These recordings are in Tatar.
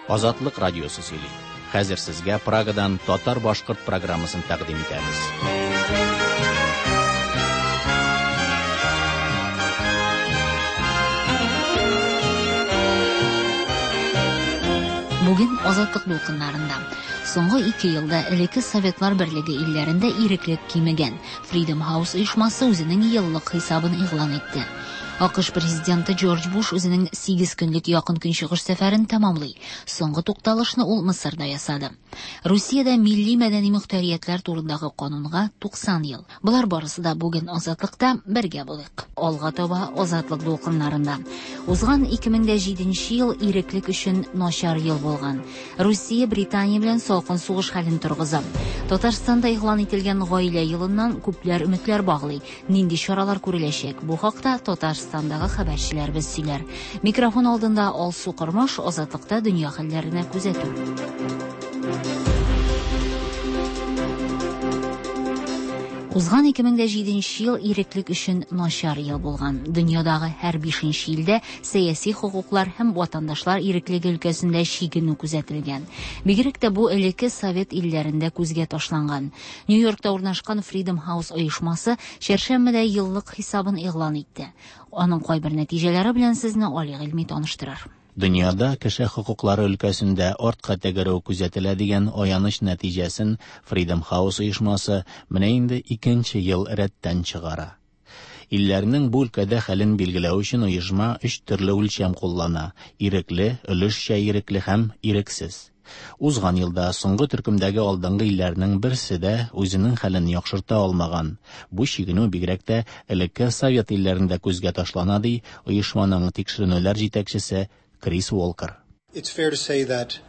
Азатлык радиосы сөйли. Хәзер сезгә Прагадан татар-башкорт программасын тәкъдим итәбез. Бүген Азатлык дулкыннарында. Соңгы 2 елда элекке Советлар Берлеге илләрендә иреклек кимегән. Freedom House оешмасы үзенең еллык хисабын игълан итте. АКШ президенты Джордж Буш үзенең 8 көнлек Якын Көнчыгыш сәфәрен тәмамлый. Соңгы тукталышны ул Мысырда ясады. Русиядә милли мәдәни мөхтәриятләр турындагы канунга 90 ел. Болар барысы да бүген Азатлыкта бергә булыйк. Алга таба Азатлык дулкыннарында. Узган 2007 ел иреклек өчен начар ел булган. Русия Британия белән салкын сугыш хәлен торгыза. Татарстанда игълан ителгән гаилә елыннан күпләр өметләр баглый. Нинди чаралар күреләчәк? Бу хакта Татарстандагы хәбәрчеләребез сөйләр. Микрофон алдында Алсу Кормаш, Азатлыкта дөнья хәлләренә күзәтү. Узган 2007 ел иреклек өчен начар ел булган. Дөньядагы һәр 5 илдә сәяси хокуклар һәм ватандашлар иреклеге өлкәсендә чигенү күзәтелгән. Бигрәк тә бу элекке совет илләрендә күзгә ташланган. Нью-Йоркта урнашкан Freedom House оешмасы чәршәмбедә еллык хисабын игълан итте. Аның кайбер нәтиҗәләре белән сезне Али Гыйльми таныштырыр. Дөньяда кеше хокуклары өлкәсендә артка тәгәрәү күзәтелә дигән аяныч нәтиҗәсен Freedom House оешмасы менә инде икенче ел рәттән чыгара. Илләрнең бу өлкәдә хәлен билгеләү өчен оешма өч төрле үлчәм куллана: ирекле, өлешчә ирекле һәм ирексез. Узган елда соңгы төркемдәге алдынгы илләрнең берсе дә үзенең хәлен яхшырта алмаган. Бу чигенү бигрәк тә элекке совет илләрендә күзгә ташлана, ди оешманың тикшеренүләр җитәкчесе Крис Уолкер. It's fair to say that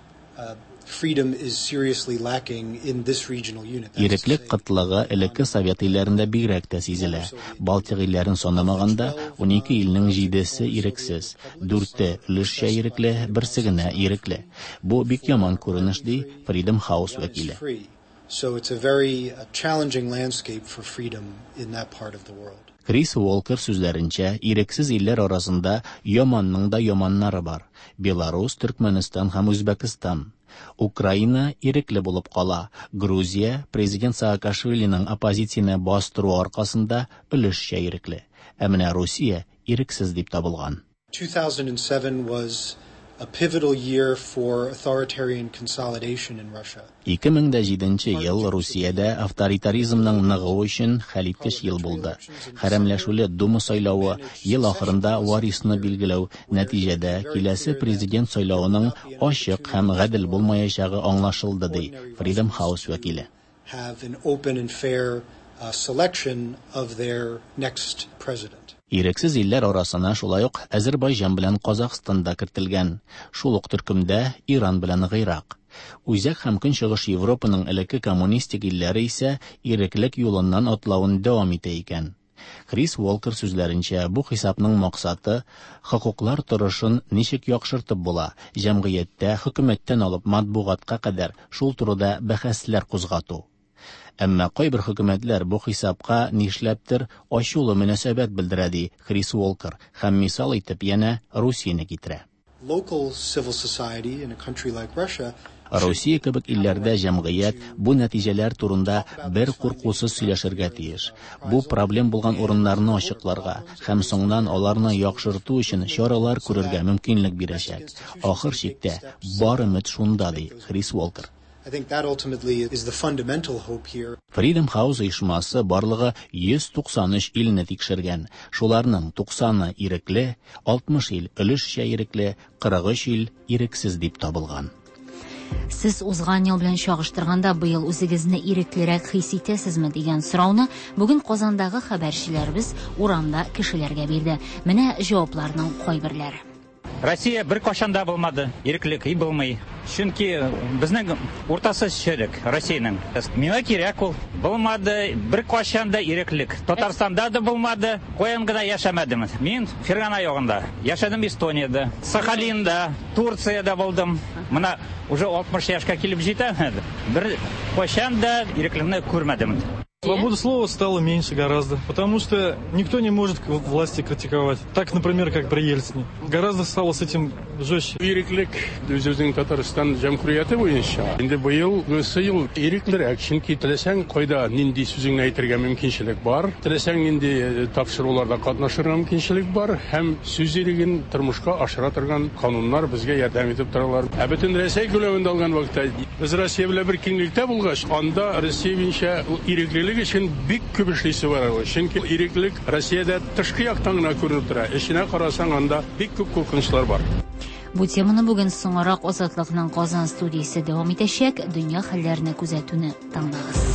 freedom is seriously lacking in this regional unit. Иреклек кытлыгы элекке совет илләрендә бигрәк тә сизелә. Балтик илләрен санамаганда, 12 илнең 7-се ирексез, 4-те өлешчә ирекле, берсе генә ирекле. Бу бик яман күренеш, ди Freedom House вәкиле. So it's a very challenging landscape for freedom in that part of the world. Крис Уолкер сүзләренчә, ирексез илләр арасында яманның да яманнары бар. Беларус, Төркмәнстан һәм Үзбәкстан. Украина ирекле булып кала. Грузия президент Саакашвилиның оппозицияне бастыру аркасында өлешчә ирекле. Ә менә Русия ирексез дип табылган. 2007 was a pivotal year for authoritarian consolidation in Russia. 2007 ел Русиядә авторитаризмның ныгуы өчен хәлиткеч ел булды. Хәрәмләшүле Дума сайлавы, ел ахырында варисны билгеләү, нәтиҗәдә киләсе президент сайлавының ачык һәм гадел булмаячагы аңлашылды, ди Freedom House вәкиле. Have an open and fair selection of their next president. Ирексез илләр арасына шулай ук Әзербайҗан белән Казахстан да кертелгән. Шул ук төркемдә Иран белән Гыйрак. Үзәк һәм Көнчыгыш Европаның элекке коммунистик илләре исә иреклек юлыннан атлавын дәвам итә икән. Крис Уолкер сүзләренчә, бу хисапның максаты хокуклар торышын ничек яхшыртып була, җәмгыятьтә хөкүмәттән алып матбугатка кадәр шул турыда бәхәсләр кузгату. Әмма кайбер хөкүмәтләр бу хисапка нишләптер ачулы мөнәсәбәт белдерә, ди Крис Уолкер, һәм мисал итеп янә Русияне китерә. Local civil society in a country like Russia Русия кебек илләрдә җәмгыять бу нәтиҗәләр турында бер куркусыз сөйләшергә тиеш. Бу проблем булган урыннарны ачыкларга һәм соңыннан аларны яхшырту өчен чаралар күрергә мөмкинлек бирәчәк. Ахыр чиктә бар өмет шунда, ди Крис Уолкер. I think that ultimately is the fundamental hope here. Freedom House оешмасы барлыгы 193 илне тикшергән. Шуларның 90-ы ирекле, 60 ил өлешчә ирекле, 43 ил ирексез дип табылган. Сез узган ел белән чагыштырганда быел үзегезне иреклерәк хис итәсезме дигән сорауны бүген Казандагы хәбәрчеләребез урамда кешеләргә бирде. Менә җавапларның кайберләре. Россия бер кашан да булмады, иреклек и булмый. Чөнки безнең уртасы черек Россиянең. Миңа кирәк ул. Булмады бер кашан да иреклек. Татарстанда да булмады, каян гына яшәмәдем. Мин Фергана ягында яшәдем, Эстониядә, Сахалинда, Турциядә булдым. Менә уже 60 яшькә килеп җитәм. Бер кашан да иреклекне күрмәдем. Свобода слова стало меньше гораздо, потому что никто не может власти критиковать. Так, например, как при Ельцине. Гораздо стало с этим жестче. Иреклек үзебезнең Татарстан җәмһүрияте буенча инде быел ел иреклерәк, чөнки теләсәң кайда нинди сүзеңне әйтергә мөмкинчелек бар, теләсәң нинди тапшыруларда катнашырга мөмкинчелек бар һәм сүз иреген тормышка ашыра торган кануннар безгә ярдәм итеп торалар. Ә бөтен Рәсәй күләмендә алган вакытта без Россия белән бер киңлектә булгач, анда Россия буенча иреклелек өчен бик күп эшлисе бар. Чөнки иреклек Россиядә тышкы яктан гына күренеп тора. Эченә карасаң, анда бик күп куркынычлар бар. Бу теманы бүген соңрак Азатлыкның Казан студиясе дәвам итәчәк. Дөнья хәлләренә күзәтүне тыңлагыз.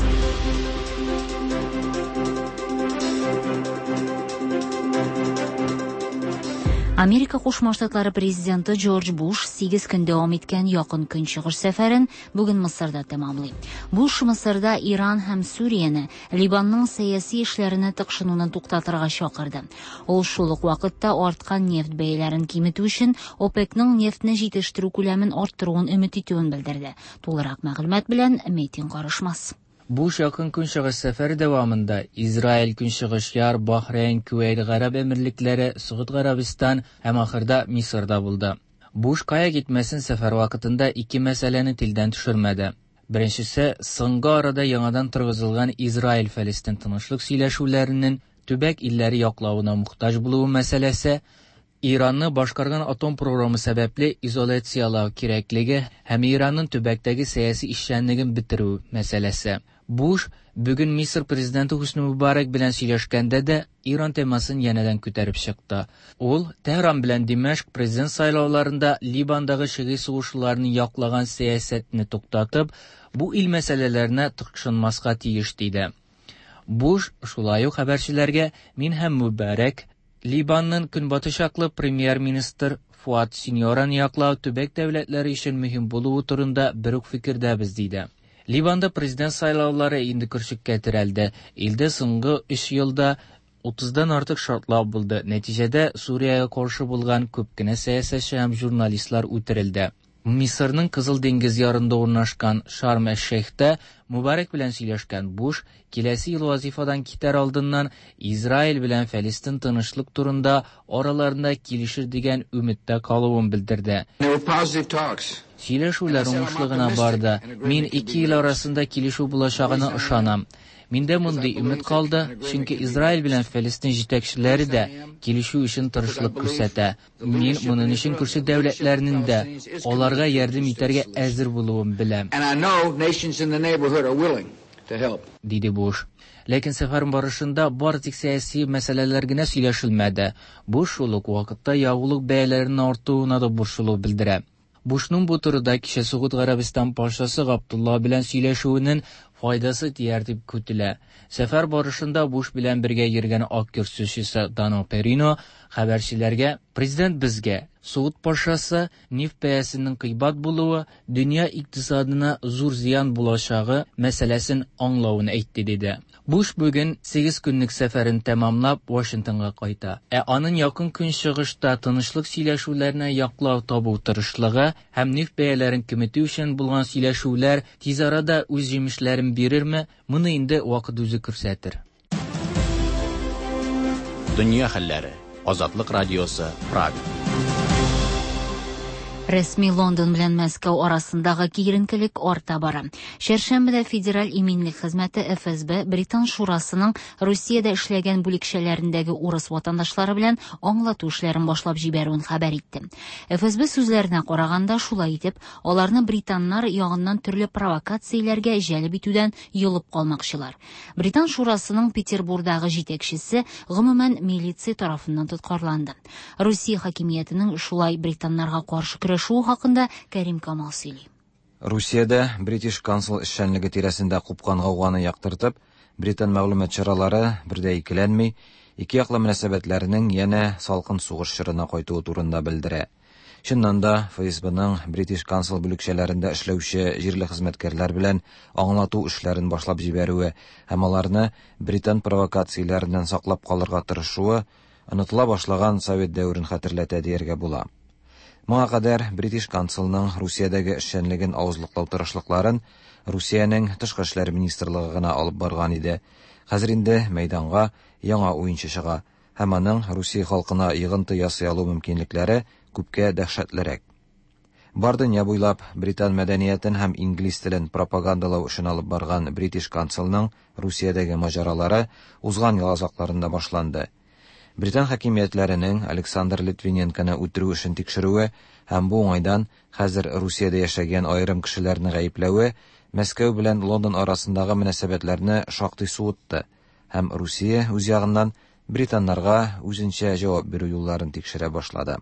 Америка Кушма Штатлары президенты Джордж Буш 8 көн дәвам иткән Якын Көнчыгыш сәфәрен бүген Мысырда тәмамлый. Буш Мысырда Иран һәм Сүрияне Ливанның сәяси эшләренә тыкшынуны туктатырга чакырды. Ул шул ук вакытта арткан нефть бәяләрен киметү өчен ОПЕКның нефтьне җитештерү күләмен арттыруын өмет итүен белдерде. Тулырак мәгълүмат белән Метин Карышмас. Буш Якын Көнчыгыш сәфәре дәвамында Израиль, Көнчыгыш Яр, Бахрейн, Күвәйт Гарәп Әмирлекләре, Согуд Гарәбстан һәм ахырда Мисырда булды. Буш кая китмәсен сәфәр вакытында ике мәсьәләне телдән төшермәде. Беренчесе, соңгы арада яңадан торгызылган Израиль-Фәлестин тынычлык сөйләшүләренең төбәк илләре яклавына мохтаҗ булуы мәсьәләсе, Иранны башкарган атом програмы сәбәпле изоляциялау кирәклеге һәм Иранның төбәктәге сәяси эшчәнлеген бетерү мәсьәләсе. Буш бүген Мисыр президенты Хөсни Мубарак белән сөйләшкәндә дә Иран темасын янәдән күтәреп чыкты. Ул Тәһран белән Димәшк президент сайлауларында Ливандагы шигый сугышчыларны яклаган сәясәтне туктатып, бу ил мәсьәләләренә тыкшынмаска тиеш диде. Буш шулай ук хәбәрчеләргә мин һәм Мубарак Ливанның көнбатыш яклы премьер-министр Фуат Синьораны яклау төбәк дәүләтләре өчен мөһим булуы турында бер үк фикердәбез диде. Ливанда президент сайлаулары инде көршеккә терәлде. Илдә соңгы 3 елда 30-дан артык шартлау булды. Нәтиҗәдә Сүриягә каршы булган күп кенә сәясәтче һәм журналистлар үтерелде. Мисырның Кызыл диңгез ярында урнашкан Шарм-әш-Шейхтә Мубарак белән сөйләшкән Буш киләсе ел вазифадан китәр алдыннан Израиль белән Фәлестин тынычлык турында араларында килешер дигән өметтә калуын белдерде. Сөйләшүләр уңышлы гына барды. Мин ике ил арасында килешү булачагына ышанам. Миндә мондый өмет калды, чөнки Израиль белән Фәлестин җитәкчеләре дә килешү өчен тырышлык күрсәтә. Мин моның өчен күрше дәүләтләрнең дә аларга ярдәм итәргә әзер булуын беләм. Диде Буш. Ләкин сәфәр барышында бары тик сәяси мәсьәләләр генә сөйләшелмәде. Буш шул ук вакытта ягулык бәяләренең артуына да борчылу белдерә. Бушның бу турыда кичә Согуд Гарәбстан патшасы Габдулла белән сөйләшүенең файдасы тияр дип көтелә. Сәфәр барышында Буш белән бергә йөргән Ак йорт сүзчесе Дано Перино хәбәрчеләргә президент безгә Согуд патшасы нефть бәясенең кыйбат булуы дөнья икътисадына зур зыян булачагы мәсьәләсен аңлавын әйтте диде. Буш бүген 8 көнлек сәфәрен тәмамлап Вашингтонга кайта. Ә аның якын көнчыгышта тынычлык сөйләшүләренә яклау табу тырышлыгы һәм нефть бәяләрен киметү өчен булган сөйләшүләр тиз арада үз җимешләрен бирерме, моны инде вакыт үзе күрсәтер. Дөнья хәлләре. Азатлык радиосы, Прага. Рәсми Лондон белән Мәскәү арасындагы киеренкелек арта бара. Чәршәмбедә Федераль иминлек хезмәте ФСБ Британ шурасының Русиядә эшләгән бүлекчәләрендәге урыс ватандашлары белән аңлату эшләрен башлап җибәрүен хәбәр итте. ФСБ сүзләренә караганда, шулай итеп, аларны британнар ягыннан төрле провокацияләргә җәлеп итүдән йолып калмакчылар. Британ шурасының Петербурдагы җитәкчесе гомумән милиция тарафыннан тоткарланды. Русия хакимиятенең шулай британнарга каршы көрәшүе хакында Кәрим Камал сөйли. Русиядә British Council эшчәнлеге тирәсендә купкан гауганы яктыртып, британ мәгълүмат чаралары бер дә икеләнми, ике яклы мөнәсәбәтләрнең янә салкын сугыш чорына кайтуы турында белдерә. Чыннан да ФСБның British Council бүлекчәләрендә эшләүче җирле хезмәткәрләр белән аңлату эшләрен башлап җибәрүе һәм аларны британ провокацияләреннән саклап калырга тырышуы онытыла башлаган совет дәверен хәтерләтә дияргә була. Моңа кадәр British Councilның Русиядәге эшчәнлеген авызлыклау тырышлыкларын Русиянең Тышкы эшләр министрлыгы гына алып барган иде. Хәзер инде мәйданга яңа уенчы чыга һәм аның Русия халкына йогынты ясый алу мөмкинлекләре күпкә дәһшәтлерәк. Бар дөнья буйлап британ мәдәниятен һәм инглиз телен пропагандалау эшен алып барган British Councilның Русиядәге маҗаралары узган ел азакларында башланды. Британ хакимиятләренең Александр Литвиненконы үтерү эшен тикшерүе һәм бу уңайдан хәзер Русиядә яшәгән аерым кешеләрне гаепләве Мәскәү белән Лондон арасындагы мөнәсәбәтләрне шактый суытты һәм Русия үз ягыннан британнарга үзенчә җавап бирү юлларын тикшерә башлады.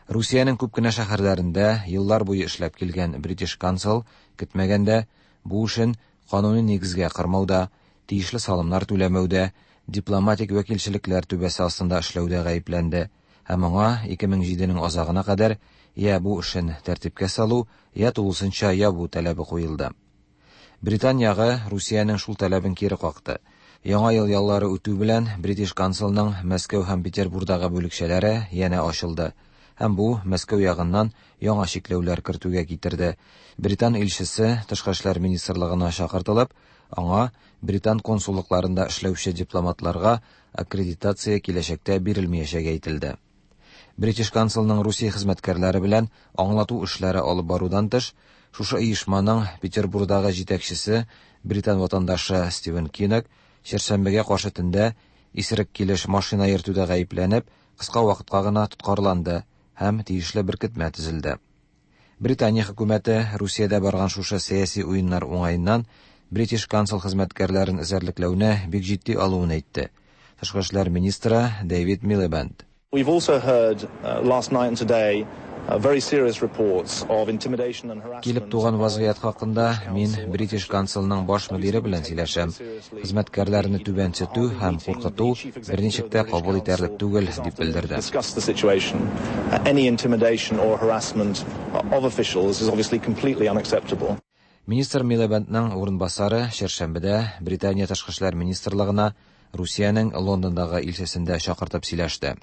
Русиянең күп кенә шәһәрләрендә еллар буе эшләп килгән British Council көтмәгәндә бу эшен кануни нигезгә кырмауда, тиешле салымнар түләмәүдә, дипломатик вәкилчелекләр түбәсе астында эшләүдә гаепләнде һәм аңа 2007-нең азагына кадәр я бу эшен тәртипкә салу, я тулысынча ябу таләбе куелды. Британ ягы Русиянең шул таләбен кире какты. Яңа ел яллары үтү белән British Councilның Мәскәү һәм Петербурдагы бүлекчәләре янә ачылды. Һәм бу Мәскәү ягыннан яңа чикләүләр кертүгә китерде. Британ илчесе Тышкы эшләр министрлыгына чакыртылып, аңа британ консуллыкларында эшләүче дипломатларга аккредитация киләчәктә бирелмәячәге әйтелде. British Councilның Русия хезмәткәрләре белән аңлату эшләре алып барудан тыш, шушы оешманың Петербурдагы җитәкчесе британ ватандашы Стивен Киннок чәршәмбегә каршы төндә исерек килеш машина йөртүдә гаепләнеп, кыска вакытка гына тоткарланды һәм тиешле беркетмә төзелде. Британия хөкүмәте Русиядә барган шушы сәяси уеннар уңаеннан British Council хезмәткәрләрен эзәрлекләүне бик җитди алуын әйтте. Тышкы эшләр министры Дэвид Милибенд. We've also heard last night and today very serious reports of intimidation and harassment. Килеп туган вазгыять хакында мин British Councilның баш мөдире белән сөйләшәм. Хезмәткәрләрне түбәнсетү һәм куркыту берничек тә кабул итәрлек түгел, дип белдерде. Discuss the situation. Any intimidation or harassment of officials is obviously completely unacceptable. Министр Милибендның урынбасары чәршәмбедә Британия тышкы эшләр министрлыгына Русиянең Лондондагы илчесендә чакыртып сөйләште.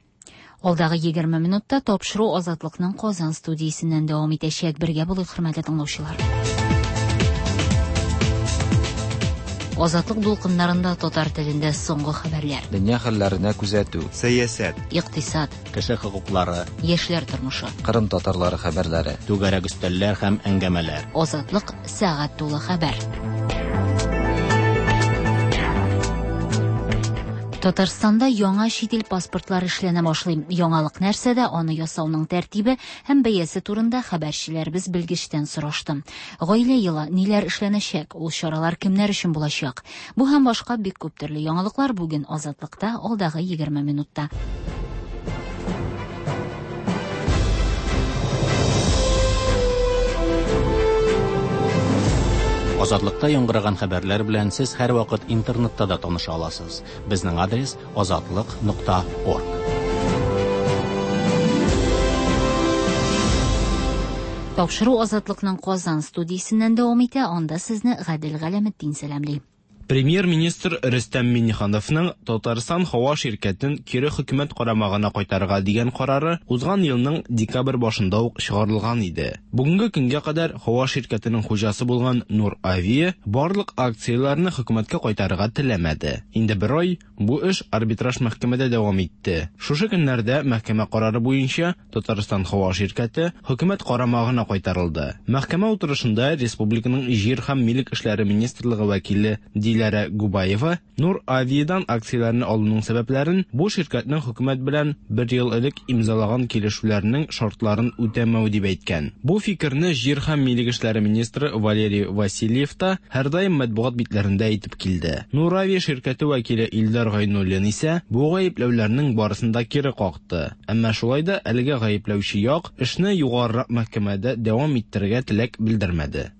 Алдагы 20 минутта тапшыру Азатлыкның Казан студиясеннән дәвам итәчәк. Бергә булыйк, хөрмәтле тыңлаучылар. Азатлык дулкыннарында татар телендә соңгы хәбәрләр. Дөнья хәлләренә күзәтү, Сәясәт, Икътисад, Кеше хокуклары, яшьләр тормышы. Кырым татарлары хәбәрләре. Түгәрәк өстәлләр һәм әңгәмәләр. Азатлык сәгать тулы хәбәр. Татарстанда яңа чит ил паспортлары эшләнә башлый. Яңалык нәрсәдә, аны ясауның тәртибе һәм бәясе турында хәбәрчеләребез белгечтән сорашты. Гаилә елы ниләр эшләнәчәк, ул чаралар кемнәр өчен булачак? Бу һәм башка бик күп төрле яңалыклар бүген Азатлыкта алдагы 20 минутта. Азатлыкта яңгыраган хәбәрләр белән сез һәрвакыт интернетта да таныша аласыз. Безнең адрес azatliq.org. Тапшыру Азатлыкның Казан студиясеннән дәвам итә, анда сезне Гадел Галәметдин сәламли. Премьер-министр Рөстәм Миңнехановның Татарстан һава ширкәтен кире хөкүмәт карамагына кайтарырга дигән карары узган елның декабрь башында ук чыгарылган иде. Бүгенге көнгә кадәр һава ширкәтенең хуҗасы булган Нур Авиа барлык акцияләрне хөкүмәткә кайтарырга теләмәде. Инде бер ай бу эш арбитраж мәхкәмәдә дәвам итте. Шушы көннәрдә мәхкәмә карары буенча Татарстан һава ширкәте хөкүмәт карамагына кайтарылды. Мәхкәмә утырышында республиканың җир һәм милек эшләре министрлыгы вәкиле Диләрә Губаева Нур Авиадан акцияләрне алуның сәбәпләрен бу ширкәтнең хөкүмәт белән бер ел элек имзалаган килешүләрнең шартларын үтәмәү дип әйткән. Бу фикерне җир һәм милек эшләре министры Валерий Васильев та һәрдаим матбугат битләрендә әйтеп килде. Нур Авиа ширкәте вәкиле Илдар Гайнуллин исә бу гаепләүләрнең барысын да кире какты. Әмма шулай да әлеге гаепләүче як эшне югарырак мәхкәмәдә дәвам иттерергә теләк белдермәде.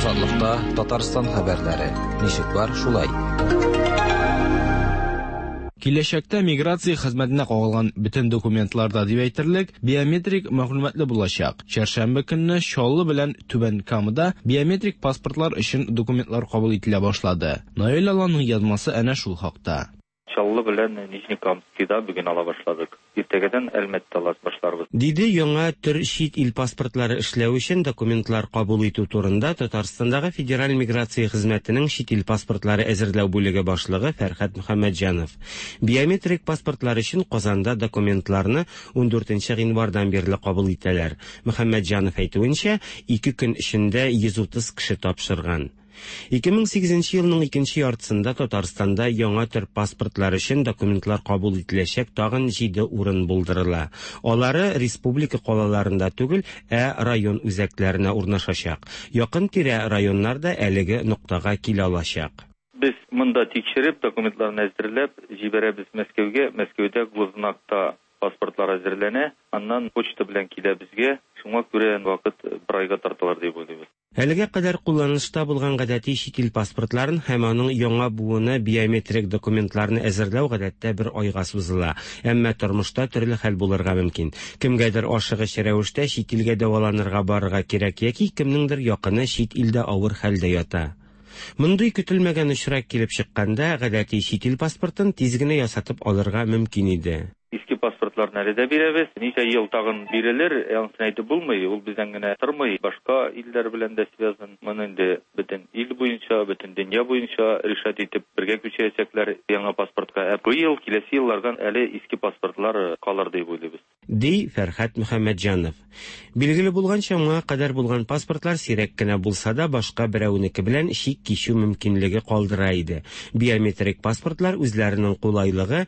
Азатлыкта Татарстан хәбәрләре. Ничек бар, шулай. Киләчәктә миграция хезмәтенә кагылган бөтен документларда дип әйтерлек биометрик мәгълүматлы булачак. Чәршәмбе көнне Чаллы белән Түбән Камада биометрик паспортлар өчен документлар кабул ителә башлады. Наил Аланның язмасы әнә шул хакта. Чаллы белән Нижнекамскида бүген ала башладык. Иртәгәдән Әлмәттә ала башларбыз. Диде яңа төр чит ил паспортлары эшләү өчен документлар кабул итү турында Татарстандагы Федераль миграция хезмәтенең чит ил паспортлары әзерләү бүлеге башлыгы Фәрхәт Мөхәммәтҗанов. Биометрик паспортлар өчен Казанда документларны ундүртенче гыйнвардан бирле кабул итәләр. Мөхәммәтҗанов әйтүенчә, ике көн эчендә 130 кеше тапшырган. 2008 нче елның икенче яртысында Татарстанда яңа төр паспортлар өчен документлар кабул ителәчәк тагын җиде урын булдырыла. Алары республика калаларында түгел, ә район үзәкләренә урнашачак. Якын-тирә районнар да әлеге ноктага килә алачак. Без монда тикшереп, документларны әзерләп җибәрәбез Мәскәүгә. Мәскәүдә Гознакта паспортлар әзерләнә. Аннан почта белән килә безгә. Шуңа күрә вакыт бер айга тартылыр дип уйлыйбыз. Әлегә кадәр кулланышта булган гадәти чит ил паспортларын һәм аның яңа буыны биометрик документларны әзерләү гадәттә бер айга сузыла. Әмма тормышта төрле хәл булырга мөмкин. Кемгәдер ашыгыч рәвештә чит илгә дәваланырга барырга кирәк яки кемнеңдер якыны чит илдә авыр хәлдә ята. Мондый көтелмәгән очрак килеп чыкканда, гадәти чит ил паспортын тиз генә ясатып алырга мөмкин иде. Иске паспортларны әле дә бирәбез. Ничә ел тагын бирелер, анысын әйтеп булмый. Ул бездән генә тормый, башка илләр белән дә связан. Моны инде бөтен ил буенча, бөтен дөнья буенча решать итеп бергә күчерәчәкләр яңа паспортка. Ә быел, киләсе еллардан әле иске паспортлар калыр дип уйлыйбыз. Ди Фәрхәт Мөхәммәтҗанов. Билгеле булганча, моңа кадәр булган паспортлар сирәк кенә булса да башка берәүнеке белән чик кичү мөмкинлеге калдыра иде. Биометрик паспортлар үзләренең кулайлыгы,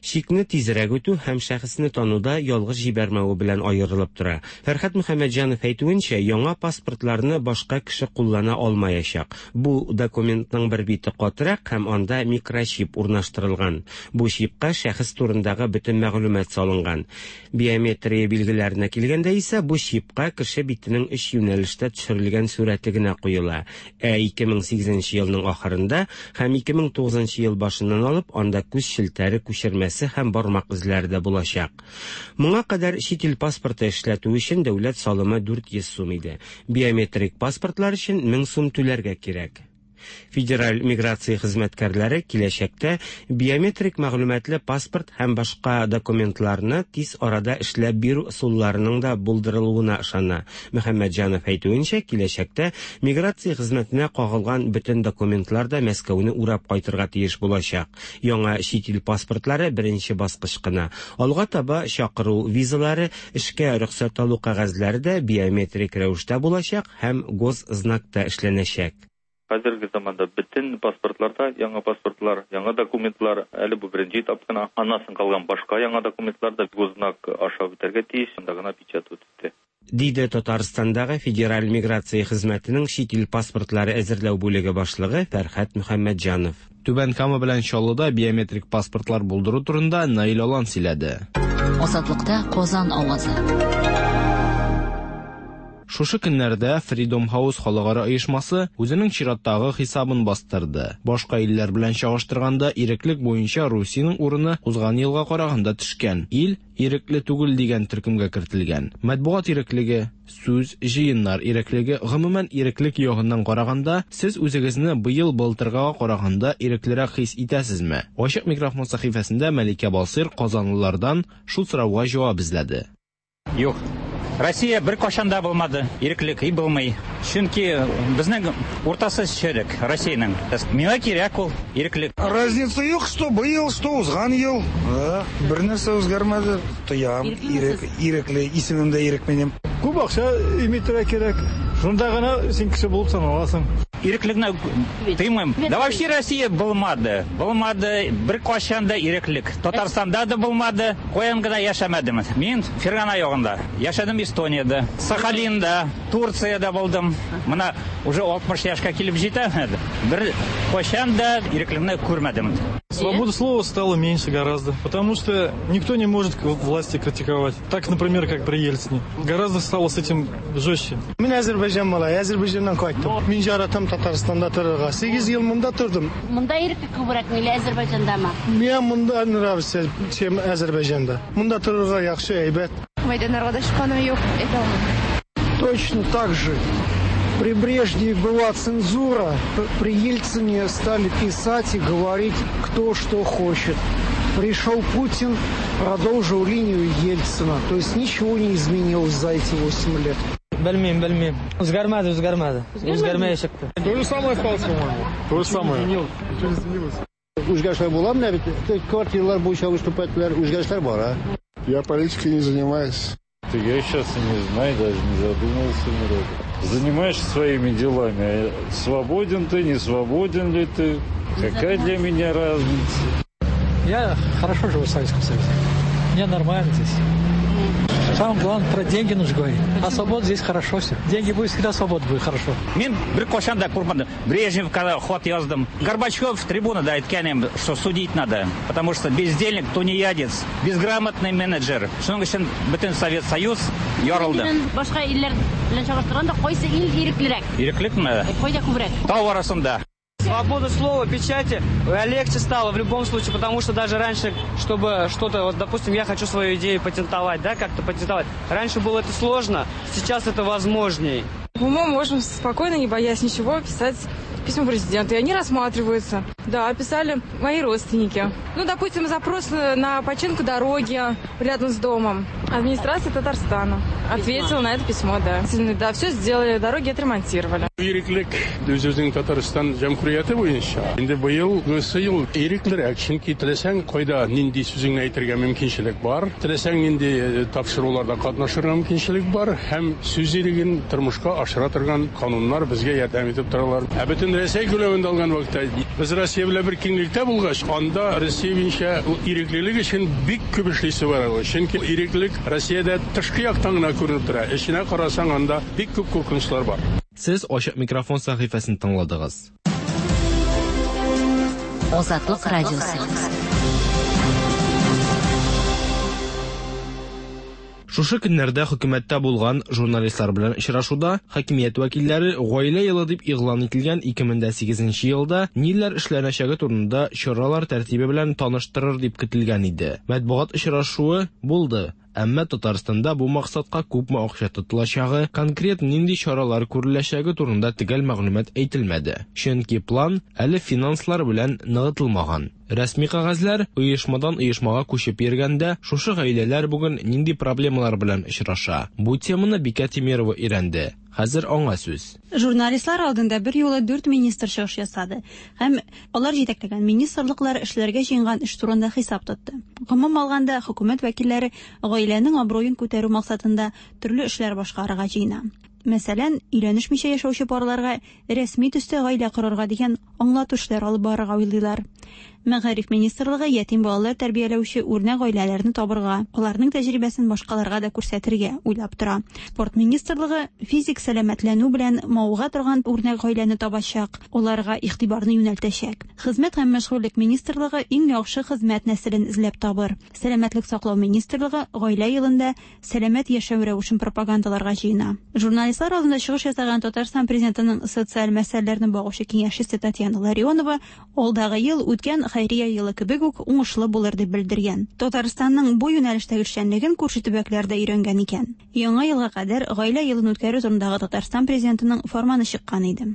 чикне тизрәк үтү һәм шәхесне тануда ялгыш җибәрмәве белән аерылып тора. Фәрхәт Мөхәммәтҗанов әйтүенчә, яңа паспортларны башка кеше куллана алмаячак. Бу документның бер бите катырак һәм анда микрочип урнаштырылган. Бу чипка шәхес турындагы бөтен мәгълүмат салынган. Биометрия билгеләренә килгәндә исә, бу чипка кеше битенең өч юнәлештә төшерелгән сурәте генә куела. Ә 2008 елның ахырында һәм 2009 ел башыннан алып анда күз челтәре күчермәсе һәм бармак эзләре дә булачак. Моңа кадәр чит ил паспорты эшләтү өчен дәүләт салымы 400 сум иде. Биометрик паспортлар өчен 1000 сум түләргә кирәк. Федераль миграция хезмәткәрләре киләчәктә биометрик мәгълүматлы паспорт һәм башка документларны тиз арада эшләп бирү ысулларының да булдырылуына ышана. Мөхәммәтҗанов әйтүенчә, киләчәктә миграция хезмәтенә кагылган бөтен документлар да Мәскәүне урап кайтырга тиеш булачак. Яңа чит ил паспортлары беренче баскыч кына. Алга таба чакыру визалары, эшкә рөхсәт алу кәгазьләре дә биометрик рәвештә булачак һәм госзнакта эшләнәчәк. Хәзерге заманда бөтен паспортларда яңа паспортлар, яңа документлар, әле бу беренче этап кына. Аннан соң калган башка яңа документлар да госзнак аша үтәргә тиеш, анда гына печать үтте. Диде Татарстандагы Федераль миграция хезмәтенең чит ил паспортлары әзерләү бүлеге башлыгы Фәрхәт Мөхәммәтҗанов. Түбән Кама белән Чаллыда биометрик паспортлар булдыру турында Наил Алан сөйләде. Азатлыкта Казан авазы. Шушы көннәрдә Freedom House халыкара оешмасы үзенең чираттагы хисабын бастырды. Башка илләр белән чагыштырганда иреклек буенча Русиянең урыны узган елга караганда төшкән. Ил ирекле түгел дигән төркемгә кертелгән. Матбугат иреклеге, сүз, җыеннар иреклеге, гомумән иреклек ягыннан караганда, сез үзегезне быел былтыргыга караганда иреклерәк хис итәсезме? Ачык микрофон сәхифәсендә Мәликә Басыйр казанлылардан шул сорауга җавап эзләде. Юк. Россия бер кашан да булмады, иреклек и булмый. Чөнки безнең уртасы черек Россиянең. Миңа кирәк ул иреклек. Разница юк, что быел, что узган ел. Да, бер нәрсә үзгәрмәде. Тоям, ирек, ирекле, исемем дә ирек минем. Күп акча имитергә кирәк. Шунда гына син кеше булып саналасың. Иреклекне тыймыйм. Да вообще Россия булмады. Булмады бер кашан да иреклек. Татарстанда да булмады. Каян гына яшәмәдем. Мин Фергана ягында. Яшәдем Эстониядә, Сахалинда, Турциядә булдым. Менә уже 60 яшькә килеп җитәм. Бер кашан да иреклекне күрмәдем. Свобода слова стала меньше гораздо, потому что никто не может власти критиковать. Так, например, как при Ельцине. Гораздо стало с этим жестче. Мин Азербайджан малай, Азербайджаннан кайттым. Мин яратам Татарстанда торырга. 8 ел монда тордым. Монда иреклек күбрәкме или Азербайджандамы? Миңа монда нравится, чем Азербайджанда. Монда торырга яхшы, әйбәт. Майданнарга да чыкканым юк, әйтә алмыйм. Точно так же. При Брежневе была цензура, при Ельцине стали писать и говорить, кто что хочет. Пришел Путин, продолжил линию Ельцина. То есть ничего не изменилось за эти 8 лет. Белмим, белмим. Үзгәрмәде, үзгәрмәде. Үзгәрмәячәк тә. То же самое осталось, по-моему. То же самое. Ничего не изменилось. Үзгәрешләр була менә бит квартиралар буенча выступать итәләр, үзгәрешләр бар, а. Я политикой не занимаюсь. Я сейчас и не знаю, даже не задумывался ни разу. Занимаешься своими делами. Свободен ты, не свободен ли ты? Какая для меня разница? Я хорошо живу в Советском Союзе. Мне нормально здесь. Самое главное, про деньги нужно говорить. А свобода здесь хорошо все. Деньги будет, всегда свобода будет хорошо. Мин беркайчан да курыкмадым. Брежневка хат яздым. Горбачев трибунада әйткән, что судить надо. Потому что бездельник, тунеядец, безграмотный менеджер. Шуның өчен бөтен Совет Союз ярылды. Башка илләр белән чагыштырганда кайсы ил иреклерәк? Иреклекме? Кайда күбрәк? Тау арасында. Свобода слова, печати легче стало в любом случае, потому что даже раньше, чтобы что-то, вот, допустим, я хочу свою идею патентовать, да, как-то патентовать. Раньше было это сложно, сейчас это возможней. Мы можем спокойно, не боясь ничего, писать письма президенту, и они рассматриваются. Да, писали мои родственники. Ну, допустим, запрос на починку дороги рядом с домом. Администрация Татарстана ответила на это письмо, да. Да, все сделали, дороги отремонтировали. Иреклек үзебезнең Татарстан җәмгыяте буенча. Инде быелгысы ел иреклерәк, чөнки теләсәң кайда нинди сүзеңне әйтергә мөмкинчелек бар, теләсәң нинди тапшыруларда катнашырга мөмкинчелек бар һәм сүз иреген тормышка ашыра торган кануннар безгә ярдәм итеп торалар. Ә бөтен Рәсәй күләмендә алган вакытта без Россия белән бер киңлектә булгач, анда Россия буенча иреклелек өчен бик күп эшлисе бар. Чөнки иреклек Россиядә тышкы яктан гына күренеп тора. Эченә карасаң, анда бик күп куркынычлар бар. Сез Ачык микрофон сәхифәсен тыңладыгыз. Азатлык радиосы. Шушы көннәрдә хөкүмәттә булган журналистлар белән очрашуда хакимият вәкилләре гаилә елы дип игълан ителгән 2008 елда ниләр эшләнәчәге турында чаралар тәртибе белән таныштырыр дип көтелгән иде. Матбугат очрашуы булды. Әмма Татарстанда бу максатка күпме акча тотылачагы, конкрет нинди чаралар күреләчәге турында төгәл мәгълүмат әйтелмәде. Чөнки план әле финанслар белән ныгытылмаган. Рәсми кәгазьләр оешмадан оешмага күчеп йөргәндә, шушы гаиләләр бүген нинди проблемалар белән очраша? Бу теманы Бикә Тимирова өйрәнде. Хәзер аңа сүз. Журналистлар алдында бер юлы 4 министр чыгыш ясады һәм алар җитәкләгән министрлыклар эшләргә җыенган эш турында хисап тотты. Гомум алганда, хөкүмәт вәкилләре гаиләнең абруен күтәрү максатында төрле эшләр башкарырга җыена. Мәсәлән, өйләнешмичә яшәүче парларга рәсми төстә гаилә корырга дигән аңлату эшләр алып барырга уйлыйлар. Мәгариф министрлыгы ятим балалар тәрбияләүче үрнәк гаиләләрне табырга, аларның тәҗрибәсен башкаларга да күрсәтергә уйлап тора. Спорт министрлыгы физик сәламәтләнү белән мавыга торган үрнәк гаиләне табачак, аларга игътибарны юнәлтәчәк. Хезмәт һәм мәшгульлек министрлыгы иң яхшы хезмәт нәселен эзләп табыр. Сәламәтлек саклау министрлыгы гаилә елында сәламәт яшәү рәвешен пропагандаларга җыена. Журналистлар алдында чыгыш ясаган Татарстан президентының социаль мәсьәләләрне багучы киңәшчесе Татьяна Ларионова алдагы ел үткән хәйрия елы кебек үк уңышлы булыр дип белдергән. Татарстанның бу юнәлештәге эшчәнлеген күрше төбәкләрдә өйрәнгән икән. Яңа елга кадәр гаилә елын үткәрү турындагы Татарстан президентының фарманы чыккан иде.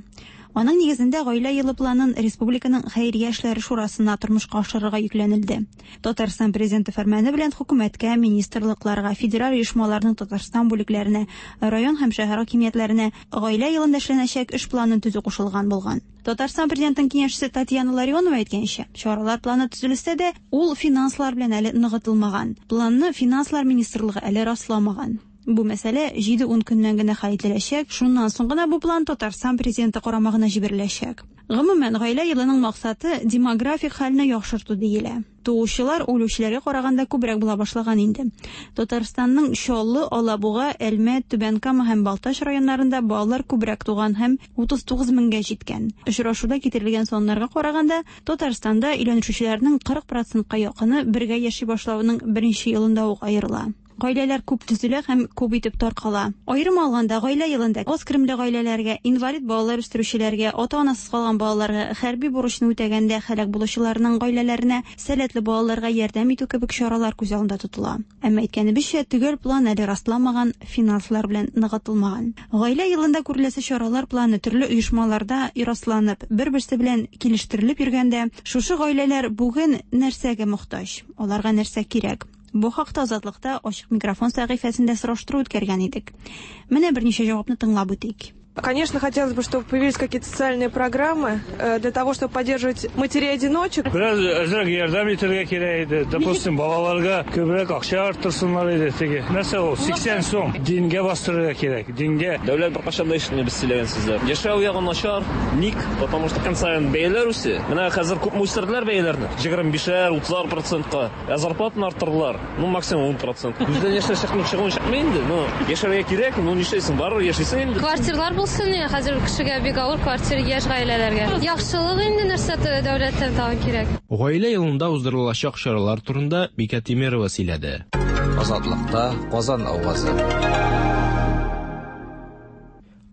Аның нигезендә гаилә елы планын республиканың хәйрия эшләре шурасына тормышка ашырырга йөкләнелде. Татарстан президенты фәрманы белән хөкүмәткә, министрлыкларга, федераль оешмаларның Татарстан бүлекләренә, район һәм шәһәр хакимиятләренә гаилә елында эшләнәчәк эш планын төзү кушылган булган. Татарстан президентының киңәшчесе Татьяна Ларионова әйткәнчә, чаралар планы төзелсә дә, ул финанслар белән әле ныгытылмаган. Планны финанслар министрлыгы әле расламаган. Бу мәсьәлә 7-10 көннән генә хәл ителәчәк. Шуннан соң гына бу план Татарстан президенты карамагына җибәреләчәк. Гомумән, гаилә елының максаты демографик хәлне яхшырту диелә. Туучылар үлүчеләргә караганда күбрәк була башлаган инде. Татарстанның Чаллы, Алабуга, Әлмәт, Түбән Кама һәм Балтач районнарында балалар күбрәк туган һәм 39 меңгә җиткән. Очрашуда китерелгән саннарга караганда, Татарстанда өйләнешүчеләрнең 40%-ка якыны бергә яши башлавының беренче елында ук аерыла. Гаиләләр күп төзелә һәм күп итеп таркала. Аерым алганда, Гаилә елында аз керемле гаиләләргә, инвалид балалар үстерүчеләргә, ата-анасыз калган балаларга, хәрби бурычны үтәгәндә һәлак булучыларның гаиләләренә, сәләтле балаларга ярдәм итү кебек чаралар күз алдында тотыла. Әмма әйткәнебезчә, төгәл план әле расланмаган, финанслар белән ныгытылмаган. Гаилә елында күреләсе чаралар планы төрле оешмаларда расланып, бер-берсе белән килештерелеп йөргәндә, шушы гаиләләр бүген нәрсәгә мохтаҗ, аларга нәрсә кирәк? Бу хакта Азатлыкта ачык микрофон сәхифәсендә сораштыру үткәргән идек. Менә берничә җавапны тыңлап үтик. Конечно, хотелось бы, чтобы появились какие-то социальные программы для того, чтобы поддерживать матерей-одиночек. Бераз әзрәк ярдәм итәргә кирәк иде. Допустим, балаларга күбрәк акча арттырсыннар иде теге. Нәрсә ул? 80 сум. Дингә бастырырга кирәк. Дингә. Дәүләт беркайчан да ишетми без сөйләгән сүзләр. Яшәү ягы начар. Ник? Потому что көн саен бәяләр үсә. Менә хәзер күпме үстерделәр бәяләрне? 25-әр, 30-ар процентка. Ә зарплатаны арттырдылар. Ну, максимум 10 процент. Күздән яшьләр чыкмый, чыгуын чыкмый инде. Ну, яшәргә кирәк, ну, нишләйсең, барыбер яшисең инде. Квартирлар булсын, хәзер кешегә бик авыр квартир яшь гаиләләргә. Яхшылык инде нәрсә дәүләттән тагын кирәк. Гаилә елында уздырылачак чаралар турында Бикә Тимерова сөйләде. Азатлыкта Казан авазы.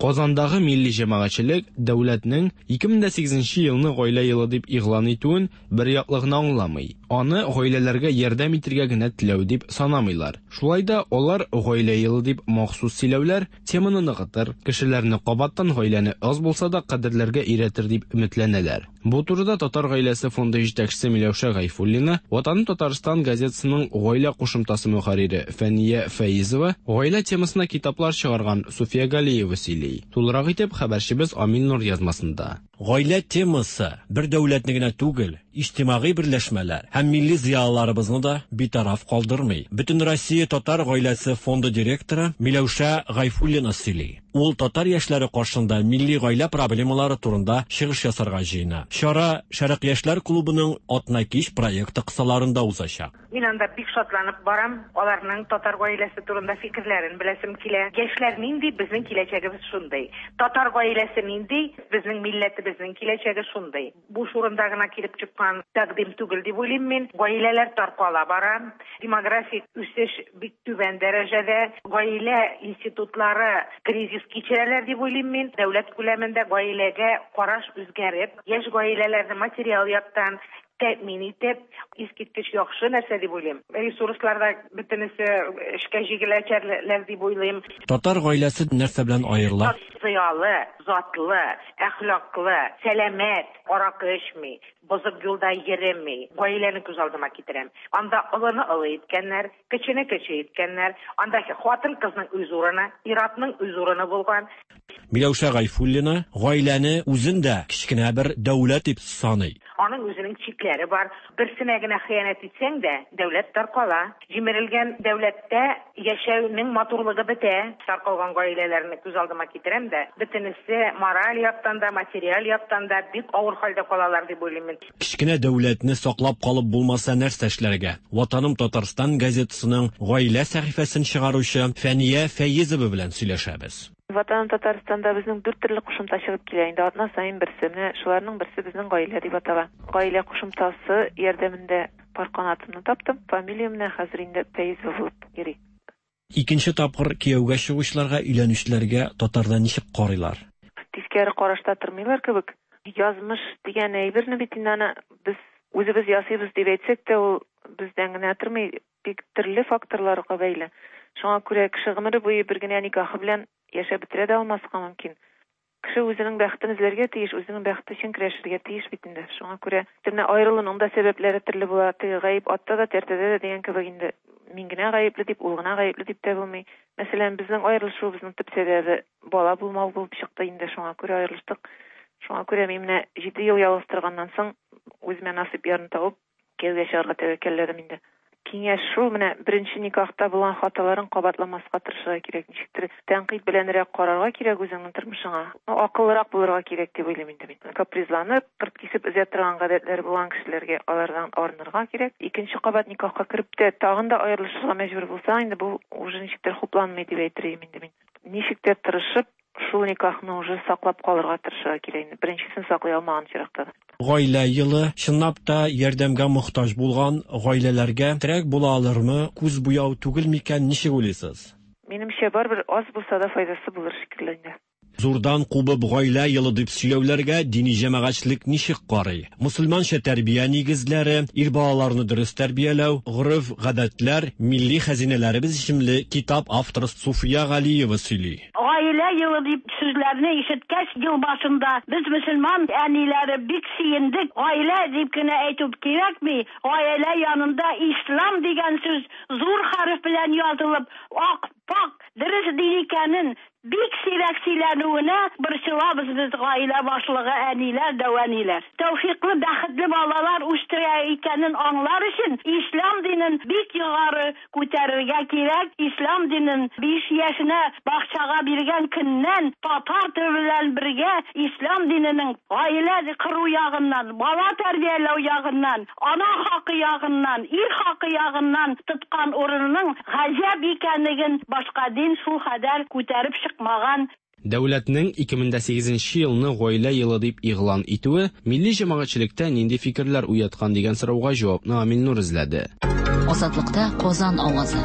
Казандагы милли җәмәгатьчелек дәүләтнең 2008 елны гаилә елы дип игълан итүен бер яклы гына аңламый. Аны гаиләләргә ярдәм итергә генә теләү дип санамыйлар. Шулай да алар гаилә елы дип махсус сөйләүләр теманы ныгытыр, кешеләрне кабаттан гаиләне аз булса да кадерләргә өйрәтер дип өметләнәләр. Бу турыда Татар гаиләсе фонды җитәкчесе Миләүшә Гайфуллина, Ватаным Татарстан газетасының гаилә кушымтасы мөхәррире Фәния Фәизова, гаилә темасына китаплар чыгарган Суфия Галиева сөйли. Тулырак итеп хәбәрчебез Амил Нур язмасында. Гаилә темасы бер дәүләтне генә түгел, иҗтимагый берләшмәләр һәм милли зыялыларыбызны да битараф калдырмый. Бөтенроссия татар гаиләсе фонды директоры Миләүшә Гайфуллина сөйли. Ул татар яшьләре каршында милли гаилә проблемалары турында чыгыш ясарга җыена. Чара Шәрык яшьләр клубының Атнакич проекты кысаларында узачак. Мин анда бик шатланып барам, аларның татар гаиләсе турында фикерләрен беләсем килә. Яшьләр нинди, безнең киләчәгебез шундый. Татар гаиләсе нинди, безнең милләтебезнең киләчәге шундый. Буш урында гына килеп чыккан тәкъдим түгел дип уйлыйм мин. Гаиләләр таркала бара. Демографик үсеш бик түбән дәрәҗәдә. Гаилә институтлары кризис кичерәләр дип уйлыйм мин. Дәүләт күләмендә гаиләгә караш үзгәреп, яшь гаиләләрне материал яктан тәэмин итеп, искиткеч яхшы нәрсә дип уйлыйм. Ресурслар да бөтенесе эшкә җигеләчәкләр дип уйлыйм. Татар гаиләсе нәрсә белән аерыла? Зыялы, затлы, әхлаклы, сәламәт, аракы эчми, бозык юлда йөреми. Гаиләне күз алдыма китерәм. Анда олыны олы иткәннәр, кечене кече иткәннәр. Анда хатын-кызның үз урыны, ир-атның үз урыны булган. Миләүшә Гайфуллина гаиләне үзен дә кечкенә бер дәүләт дип саный. Аның үзенең чикләре бар. Берсенә генә хыянәт итсәң дә, дәүләт таркала. Җимерелгән дәүләттә яшәүнең матурлыгы бетә. Таркалган гаиләләрне күз алдыма китерәм дә, бөтенесе мораль яктан да, материаль яктан да бик авыр хәлдә калалар дип уйлыйм мин. Кечкенә дәүләтне саклап калып булмаса нәрсә эшләргә? Ватаным Татарстан газетасының гаилә сәхифәсен чыгаручы Фәния Фәезова белән сөйләшәбез. Ватаным Татарстанда безнең дүрт төрле кушымта чыгып килә инде, атна саен берсе. Менә шуларның берсе безнең гаилә дип атала. Гаилә кушымтасы ярдәмендә пар канатымны таптым. Фамилиям менә хәзер инде Фәезова булып йөри. Икенче тапкыр кияүгә чыгучыларга, өйләнүчеләргә татарда ничек карыйлар? Тискәре карашта тормыйлар кебек. Язмыш дигән әйберне бит инде аны без үзебез ясыйбыз дип әйтсәк тә, ул бездән генә тормый, бик төрле факторларга бәйле. Шуңа күрә кеше гомере буе бер генә никахы белән яшәп бетерә дә алмаска мөмкин. Кеше үзенең бәхетен эзләргә тиеш, үзенең бәхете өчен көрәшергә тиеш бит инде. Шуңа күрә менә аерылуның да сәбәпләре төрле була. Теге гаеп атта да, тәртәдә дә дигән кебек инде мин генә гаепле дип, ул гына гаепле дип тә булмый. Мәсәлән, безнең аерылышуыбызның төп сәбәбе бала булмау булып чыкты инде. Шуңа күрә аерылыштык. Шуңа күрә мин менә 7 ел ялгыз торганнан соң үземә насыйп ярны табып, кияүгә чыгарга тәвәккәлләдем инде. Киңәш шул, менә беренче никахта булган хаталарын кабатламаска тырышырга кирәк. Ничектер тәнкыйть беләнрәк карарга кирәк үзеңнең тормышыңа. Акыллырак булырга кирәк дип уйлыйм инде мин. Капризланып, кырт кисеп өзә торган гадәтләре булган кешеләргә алардан арынырга кирәк. Икенче кабат никахка кереп тә тагын да аерылышырга мәҗбүр булсаң, инде бу уже ничектер хупланмый дип әйтер идем инде мин. Ничек тә тырышып, Шул никахны уже саклап калырга тырышырга кирәк инде. Беренчесен саклый алмаган очракта да. Гаилә елы, чынлап та, ярдәмгә мохтаҗ булган гаиләләргә терәк була алырмы, күз буяу түгел микән, ничек уйлыйсыз? Минемчә, барыбер аз булса да файдасы булыр шикелле инде. Зурдан кубып гаилә елы дип сөйләүләргә дини җәмәгатьчелек ничек карый? Мөселманча тәрбия нигезләре, ир балаларны дөрес тәрбияләү, гореф-гадәтләр, милли хәзинәләребез исемле китап авторы Суфия Галиева сөйли. Гаилә елы дип сүзләрне ишеткәч, ел башында без мөселман әниләре бик сөендек. Гаилә дип кенә әйтү кирәкми, гаилә янында ислам дигән сүз зур хәреф белән язылып, ак, пакь, дөрес дин икәнен Бик сирәк сөйләнүенә борчылабыз без, гаилә башлыгы әниләр, дәү әниләр. Тәүфыйклы, бәхетле балалар үстерә икәнен аңлар өчен ислам динен бик югары күтәрергә кирәк, ислам динен 5 яшенә бакчага биргән көннән татар теле белән бергә ислам диненең гаилә кору ягыннан, бала тәрбияләү ягыннан, ана хакы ягыннан, ир хакы ягыннан тоткан урынының гаҗәп икәнлеген башка дин шул кадәр күтәреп чыкмаган. Дәүләтнең 2008 нче елны Гаилә елы дип игълан итүе милли җәмәгатьчелектә нинди фикерләр уяткан дигән сорауга җавапны Амил Нур эзләде. Азатлыкта Казан авазы.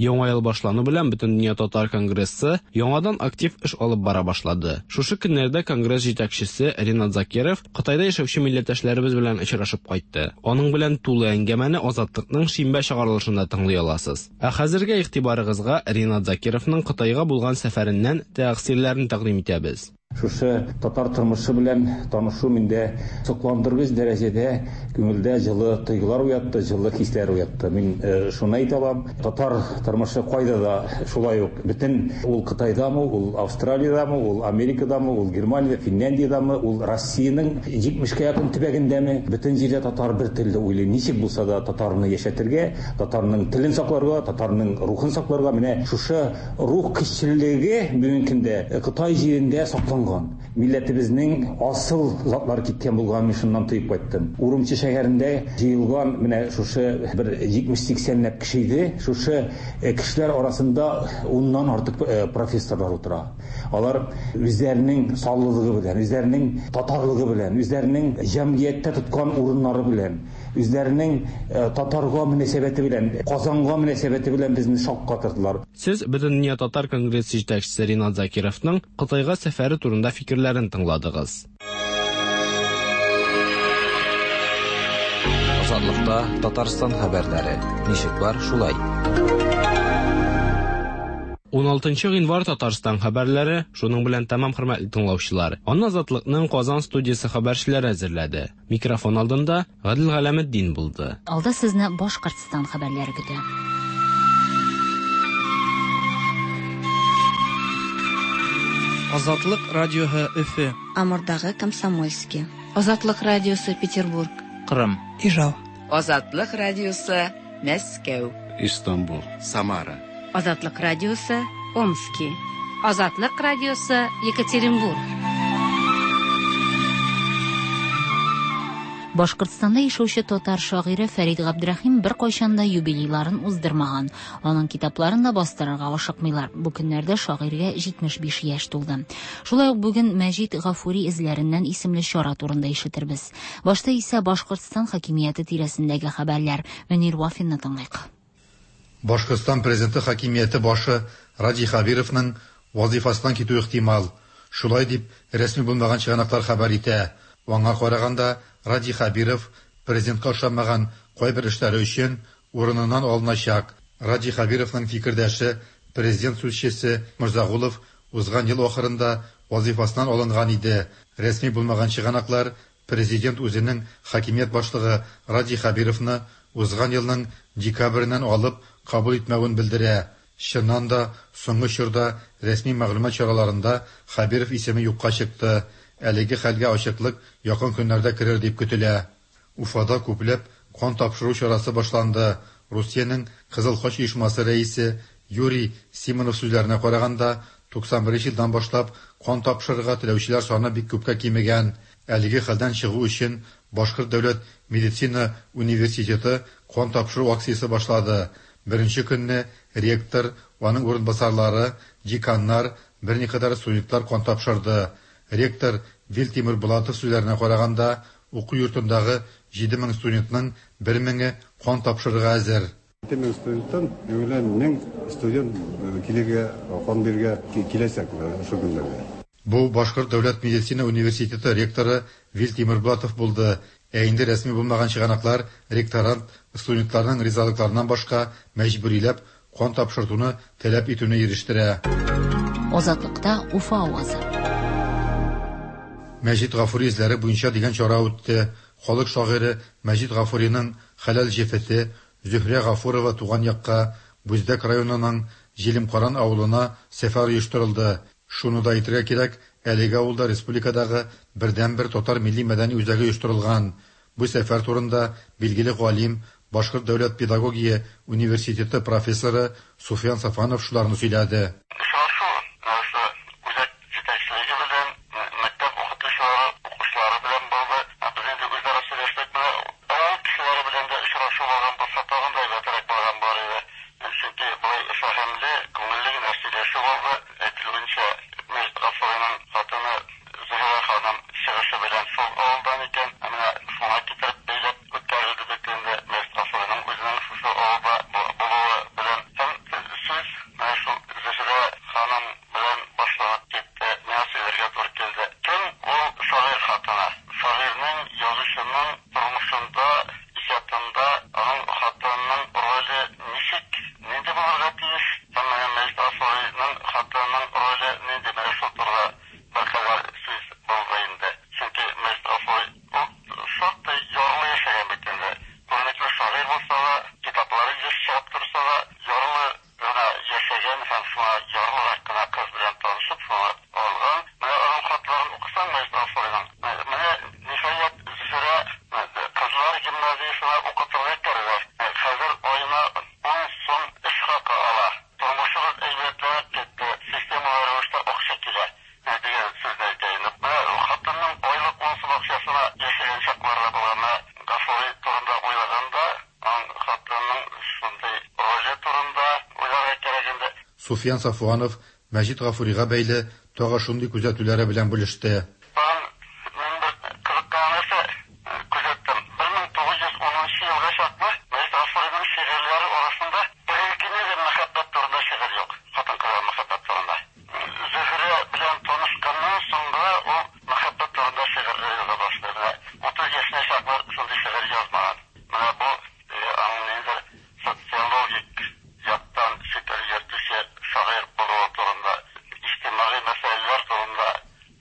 Яңа ел башлану белән Бөтендөнья татар конгрессы яңадан актив эш алып бара башлады. Шушы көннәрдә конгресс җитәкчесе Ринат Закиров Кытайда яшәүче милләттәшләребез белән очрашып кайтты. Аның белән тулы әңгәмәне Азатлыкның шимбә чыгарылышында тыңлый аласыз. Ә хәзергә игътибарыгызга Ринат Закировның Кытайга булган сәфәреннән тәэсирләрен тәкъдим итәбез. Шушы татар тормышы белән танышу миндә сокландыргыч дәрәҗәдә күңелдә җылы тойгылар уятты, җылы хисләр уятты. Мин шуны әйтә алам, татар тормышы кайда да шулай ук бөтен ул Кытайдамы, ул Австралиядәме, ул Америкадамы, ул Германиядә, Финляндиядәме, ул Россиянең 70кә якын төбәгендәме, бөтен җирдә татар бер телдә уйлый. Ничек булса да татарны яшәтергә, татарның телен сакларга, татарның рухын сакларга, менә шушы Рух көчлелеге бүгенге көндә Кытай җирендә сакланган. Милләтебезнең асыл затлары киткән булганын мин шуннан тоеп кайттым. Урумчи шәһәрендә җыелган менә шушы бер 70-80 ләп кеше иде. Шушы кешеләр арасында уннан артык профессорлар утыра. Алар үзләренең саллылыгы белән, үзләренең татарлыгы белән, үзләренең җәмгыятьтә тоткан урыннары белән, үзләренең татарга мөнәсәбәте белән, Казанга мөнәсәбәте белән безне шаккатырдылар. Сез Бөтендөнья татар конгрессы җитәкчесе Ринат Закировның Кытайга сәфәре турында фикерләрен тыңладыгыз. Азатлыкта Татарстан хәбәрләре. Ничек бар, шулай. 16 гыйнвар Татарстан хәбәрләре шуның белән тәмам, хөрмәтле тыңлаучылар. Аны Азатлыкның Казан студиясе хәбәрчеләре әзерләде. Микрофон алдында Гадел Галәметдин булды. Алда сезне Башкортстан хәбәрләре көтә. Азатлык радиоһы Өфе. Амурдагы Комсомольски. Азатлык радиосы Петербург. Кырым. Ижау. Азатлык радиосы Мәскәү. Истанбул. Самара. Азатлык радиосы Омски. Азатлык радиосы Екатеринбург. Башкортстанда яшәүче татар шагыйре Фәрит Габдрәхим беркайчан да юбилейларын уздырмаган. Аның китапларын да бастырырга ашыкмыйлар. Бу көннәрдә шагыйрьгә 75 яшь тулды. Шулай ук бүген Мәҗит Гафури эзләреннән исемле чара турында ишетербез. Башта исә Башкортстан хакимияте тирәсендәге хәбәрләр. Мөнир Вафинны тыңлыйк. Башкортстан Президенты хакимияте башы Радий Хәбировның вазыйфасыннан китүе ихтимал. Шулай дип рәсми булмаган чыганаклар хәбәр итә. Аңа караганда, Радий Хәбиров президентка ошамаган кайбер эшләре өчен урыныннан алыначак. Радий Хәбировның фикердәше, президент сүзчесе Морзагулов узган ел ахырында вазыйфасыннан алынган иде. Рәсми булмаган чыганаклар президент үзенең хакимият башлыгы Радий Хәбировны узган елның декабреннән алып кабул итмәвен белдерә. Чыннан да, соңгы чорда рәсми мәгълүмат чараларында Хәбиров исеме юкка чыкты. Әлеге хәлгә ачыклык якын көннәрдә керер дип көтелә. Уфада күпләп кан тапшыру чарасы башланды. Русиянең Кызыл Хач оешмасы рәисе Юрий Симонов сүзләренә караганда, 91 елдан башлап кан тапшырырга теләүчеләр саны бик күпкә кимегән. Әлеге хәлдән чыгу өчен Башкорт дәүләт медицина университеты кан тапшыру акциясе башлады. Беренче көнне ректор аның урынбасарлары, деканнар, берникадәр студентлар кан тапшырды. Ректор Вил Тимербулатов сүзләренә караганда, уку йортындагы 7000 студентның бер меңе кан тапшырырга әзер. 7000 студенттан югыйлә 1000 студент килергә, кан бирергә киләчәк шул көннәрдә. Бу Башкорт дәүләт медицина университеты ректоры Вил Тимербулатов булды. Ә инде рәсми булмаган чыганаклар ректорант студентларның ризалыкларыннан башка мәҗбүриләп кан тапшыртуны таләп итүне ирештерә. Азатлыкта Уфа авазы. Мәҗит Гафури эзләре буенча дигән чара үтте. Халык шагыйре Мәҗит Гафуриның хәләл җефете Зөһрә Гафурова туган якка, Бүздәк районының Җилемкаран авылына сәфәр оештырылды. Шуны да әйтергә кирәк, әлеге авылда республикадагы бердәнбер татар милли-мәдәни үзәге оештырылган. Бу сәфәр турында билгеле галим, Башкорт дәүләт педагогия университеты профессоры Суфиян Сафанов шуларны сөйләде. Очрашу менә шушы үзәк җитәкчелеге белән, мәктәп укытучылары, укучылары белән булды. Без инде үзара сөйләштек. Менә авыл кешеләре белән дә очрашу булган булса, тагын да әйбәтрәк булган булыр иде. Чөнки болай фәһемле, күңелле генә сөйләшү булды. Әйтелүенчә, Мәҗит Гафуриның хатыны Зөһрә ханым чыгышы белән шул авылдан икән. Ә менә шуңа китереп бәйләп үткәрелде бит инде Мәҗит Гафуриның үзенең шушы авылда булуы белән. Һәм сүз менә шул Зөһрә ханым белән башланып китте. Миңа сөйләргә туры килде. Кем ул шагыйрь хатыны? Шагыйрьнең, язучының тормышында, иҗатында аның хатынының роле ничек, нинди булырга тиеш? Һәм менә Мәҗит Гафуриның хатынының роле нинди? Менә шул турыда беркадәр сүз булды инде. Чөнки Мәҗит Гафури ул шактый ярлы яшәгән бит инде. Күренекле шагыйрь булса да, китаплары еш чыгып торса да, ярлы гына яшәгән һәм шуңа ярлырак кына кыз белән танышып, шуңа алган. Менә аның хатларын укысаң Мәҗит Гафуриның, менә, ниһаять, Зөһрә кызлар гимназиясенә укытырга керде. Хәзер аена ун сум эш хакы ала. Тормышыбыз әйбәтләнеп китте, системалы рәвештә акча килә, дигән сүзне әйтә инде. Менә хатынның айлык ун сум акчасына яшәгән чаклары да булган. Менә Гафури турында уйлаганда, аның хатынының шундый роле турында уйларга кирәк инде. Суфиян Сафуанов Мәҗит Гафурига бәйле тагы шундый күзәтүләре белән бүлеште. Тагын мин бер кызыккан нәрсә күзәттем. 1910 елга чаклы Мәҗит Гафуриның шигырьләре арасында бер генә дә мәхәббәт турында шигырь юк. Хатын-кызга мәхәббәт турында. Зөһрә белән танышканнан соң гына ул мәхәббәт турында шигырьләр яза башлый. Менә 30 яшенә чаклы шундый шигырь язмаган. Менә бу аның ниндидер социологик яктан фикер йөртүче шагыйрь булуы турында, иҗтимагый мәсьәләләр турында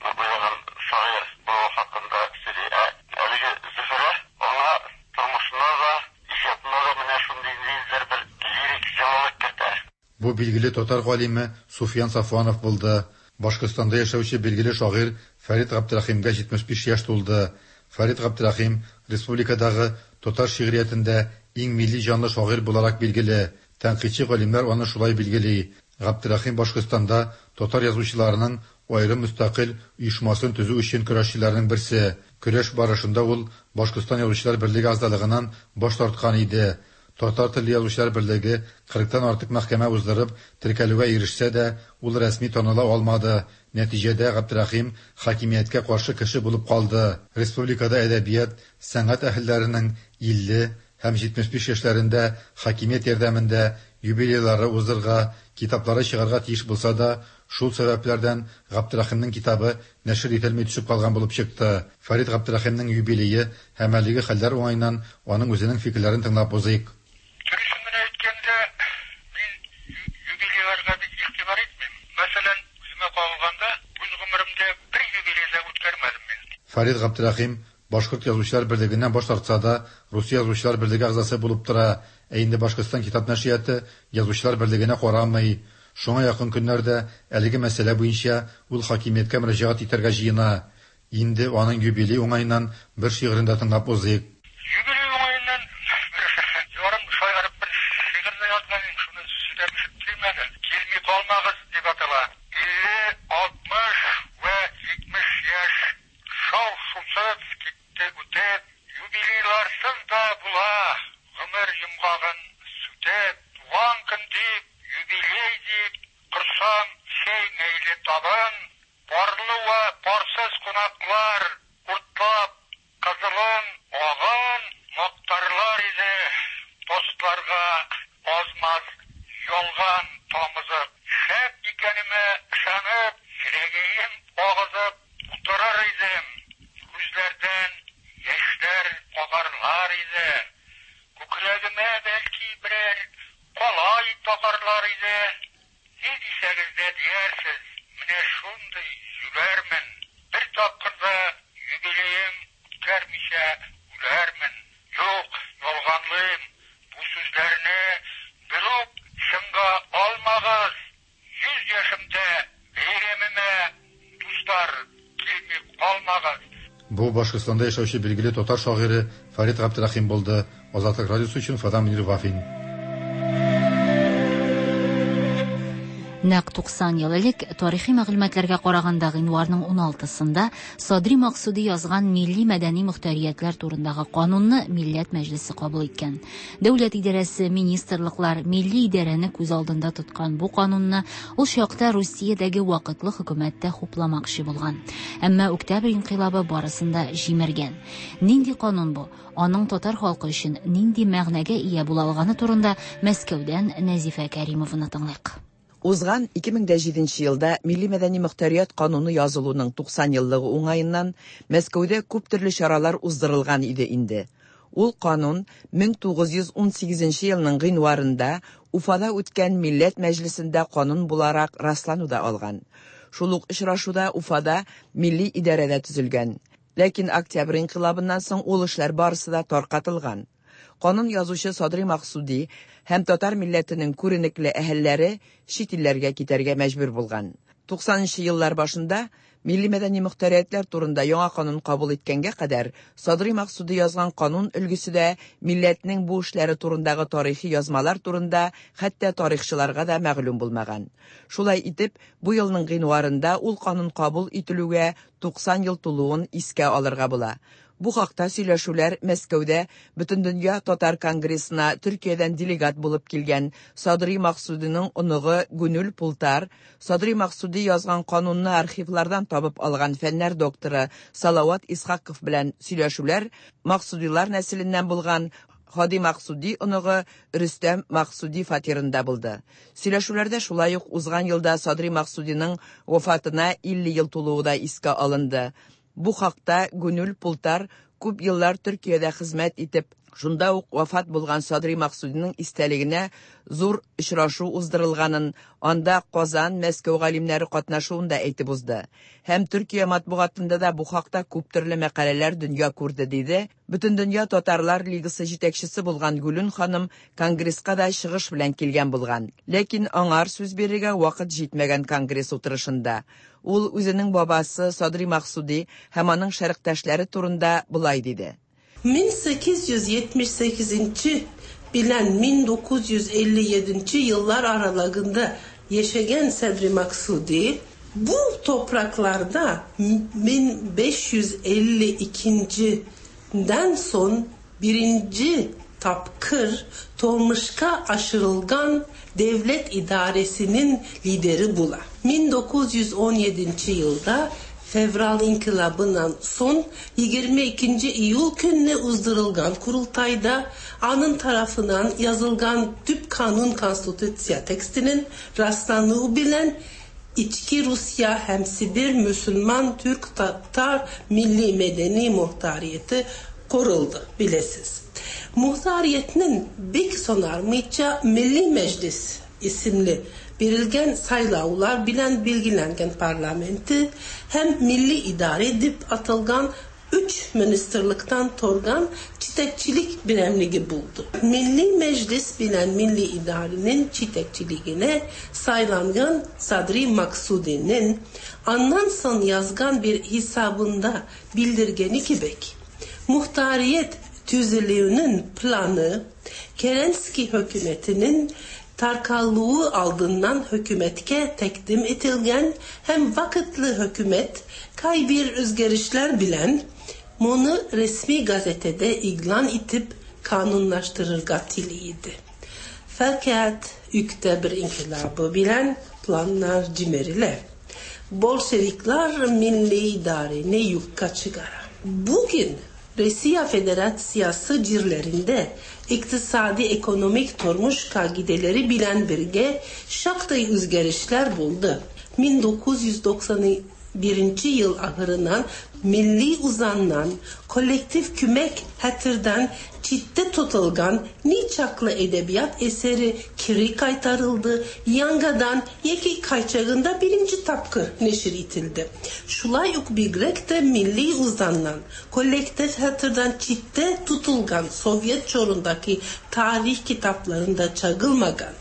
уйлаган шагыйрь булуы хакында сөйли. Ә әлеге Зөһрә аңа тормышына да, иҗатына да менә шундый ниндидер бер лирик җылылык кертә. Бу билгеле татар галиме Суфиян Сафуанов булды. Башкортстанда яшәүче билгеле шагыйрь Фәрит Габдрәхимгә 75 яшь тулды. Фәрит Габдрәхим республикадагы татар шигъриятендә иң милли җанлы шагыйрь буларак билгеле. Тәнкыйтьче галимнәр аны шулай билгели. Габдрәхим Башкортстанда татар язучыларының аерым мөстәкыйль оешмасын төзү өчен көрәшчеләрнең берсе. Көрәш барышында ул Башкортстан Язучылар берлеге әгъзалыгыннан баш тарткан иде. Татар телле язучылар берлеге 40-тан артык мәхкәмә уздырып, теркәлүгә ирешсә дә, ул рәсми таныла алмады. Нәтиҗәдә Габдрәхим хакимияткә каршы кеше булып калды. Республикада әдәбият, сәнгать әһелләренең 50 һәм 75 яшьләрендә хакимият ярдәмендә юбилейлары уздырырга, китаплары чыгарга тиеш булса да, шул сәбәпләрдән Габдрәхимнең китабы нәшер ителми төшеп калган булып чыкты. Фәрит Габдрәхимнең юбилее һәм әлеге хәлләр уңаеннан аның үзенең фикерләрен тыңлап узыйк. Дөресен генә әйткәндә, мин юбилейларга бик игътибар итмим. Мәсәлән, үземә кагылганда, үз гомеремдә бер юбилей да үткәрмәдем мин. Фәрит Габдрәхим Башкорт язучылар берлегеннән баш тартса да, Русия язучылар берлеге әгъзасы булып тора. Ә инде Башкортстан китап нәшрияты язучылар берлегенә карамый. Шуңа якын көннәрдә әлеге мәсьәлә буенча ул хакимияткә мөрәҗәгать итәргә җыена. Инде аның юбилей уңаеннан бер шигырен дә тыңлап узыйк. Юбилей уңаеннан бер ярым шаярып бер шигырь дә язган идем, шуны сөйләп ишеттерим әле. Килми калмагыз дип атала. 50, 60 вә 70 яшь шау-шусыз китте үтеп, юбилейларсыз да була, гомер йомгагын сүтеп, туган көн дип, юбилей дип. иде. Күкрәгемә, бәлки, берәр калай тагарлар иде. Ни дисәгез дә диярсез, менә шундый җүләрмен. Бер тапкыр да юбилеем үткәрмичә үләрмен. Юк, ялганлыйм, бу сүзләрне берүк чынга алмагыз. 100 яшемдә бәйрәмемә, дуслар, килми калмагыз. Бу Башкортстанда яшәүче билгеле татар шагыйре Фәрит Габдрәхим булды. Азатлык радиосы өчен Уфадан Мөнир Вафин. Нәкъ 90 ел элек, тарихи мәгълүматларга караганда, гыйнварның 16-сында Садри Максуди язган милли мәдәни мохтариятләр турындагы канунны Милләт Мәҗлесе кабул иткән. Дәүләт идарәсе, министрлыклар, милли идарәне күз алдында тоткан бу канунны ул чакта Русиядәге вакытлы хөкүмәт тә хупламакчы булган. Әмма Октябрь инкыйлабы барысын да җимергән. Нинди канун бу? Аның татар халкы өчен нинди мәгънәгә ия була алганы турында Мәскәүдән Нәзифә Кәримованы тыңлыйк. Узган 2007 елда Милли мәдәни мохтарият кануны язылуның 90 еллыгы уңаеннан Мәскәүдә күп төрле чаралар уздырылган иде инде. Ул канун 1918 елның гыйнварында Уфада үткән Милләт Мәҗлесендә канун буларак раслану да алган. Шул ук очрашуда Уфада милли идарә дә төзелгән. Ләкин Октябрь инкыйлабыннан соң ул эшләр барысы да таркатылган. Канун язучы Садри Максуди һәм татар милләтенең күренекле әһелләре чит илләргә китәргә мәҗбүр булган. 90 нчы еллар башында милли мәдәни мохтариятләр турында яңа канун кабул иткәнгә кадәр Садри Максуди язган канун өлгесе дә милләтнең бу эшләре турындагы тарихи язмалар турында хәтта тарихчыларга да мәгълүм булмаган. Шулай итеп, бу елның гыйнварында ул канун кабул ителүгә 90 ел тулуын искә алырга була. Бу хакта сөйләшүләр Мәскәүдә Бөтендөнья татар конгрессына Төркиядән делегат булып килгән Садри Максудиның оныгы Гүнүл Пултар, Садри Максуди язган канунны архивлардан табып алган фәннәр докторы Салават Исхаков белән сөйләшүләр Максудилар нәселеннән булган Һади Максуди оныгы Рөстәм Максуди фатирында булды. Сөйләшүләрдә шулай ук узган елда Садри Максудиның вафатына 50 ел тулуы да искә алынды. Бу хакта Гүнүл Пултар күп еллар Төркиядә хезмәт итеп, шунда ук вафат булган Садри Максудиның истәлегенә зур очрашу уздырылганын, анда Казан, Мәскәү галимнәре катнашуын да әйтеп узды. Һәм Төркия матбугатында да бу хакта күп төрле мәкаләләр дөнья күрде, диде. Бөтендөнья татарлар лигасы җитәкчесе булган Гүлүн ханым конгресска да чыгыш белән килгән булган. Ләкин аңар сүз бирергә вакыт җитмәгән конгресс утырышында. Ул үзенең бабасы Садри Максуди һәм аның шәрыктәшләре турында болай диде. 1878 белән 1957 еллар аралыгында яшәгән Садри Максуди бу топракларда 1552 дән соң беренче тапкыр тормышка ашырылган дәүләт идарәсенең лидеры була. 1917 елда Февраль инкыйлабыннан соң 22 июль көнне уздырылган корылтайда аның тарафыннан язылган төп канун конституция текстының раслануы белән Içki Rusya һәм Сибир мөселман түрк татар милли мәдәни мохтарияте корылды, беләсез. Мохтариятнең бик сонармыйча Милли Мәҗлис исемле бирелгән сайлаулар белән билгеләнгән парламенты һәм милли идарә дип аталган өч министрлыктан торган җитәкчелек берәмлеге булды. Милли Мәҗлис белән милли идарәнең җитәкчелегенә сайланган Садри Максудинең аннан соң язган бер хисабында белдергәне кебек, мохтарият төзелүенең планы Керенский хөкүмәтенең таркалуы алдыннан хөкүмәткә тәкъдим ителгән һәм вакытлы хөкүмәт кайбер үзгәрешләр белән моны рәсми газетада игълан итеп канунлаштырырга тели иде. Фәкать Октябрь инкыйлабы белән планнар җимерелә. Bolşeviklar milli idareni юкка чыгара. Бүген Россия Федерациясе җирләрендә икътисади экономик тормыш кагыйдәләре белән бергә шактый үзгәрешләр булды. 1990 Birinci yıl ahırından milli uzandan, kolektif kümek hatırdan çitte tutulgan niçaklı edebiyat eseri kiri kaytarıldı, yangadan yeki kayçağında birinci tapkır neşir itildi. Şulayuk bigrek de milli uzandan, kolektif hatırdan çitte tutulgan Sovyet çorundaki tarih kitaplarında çagılmagan,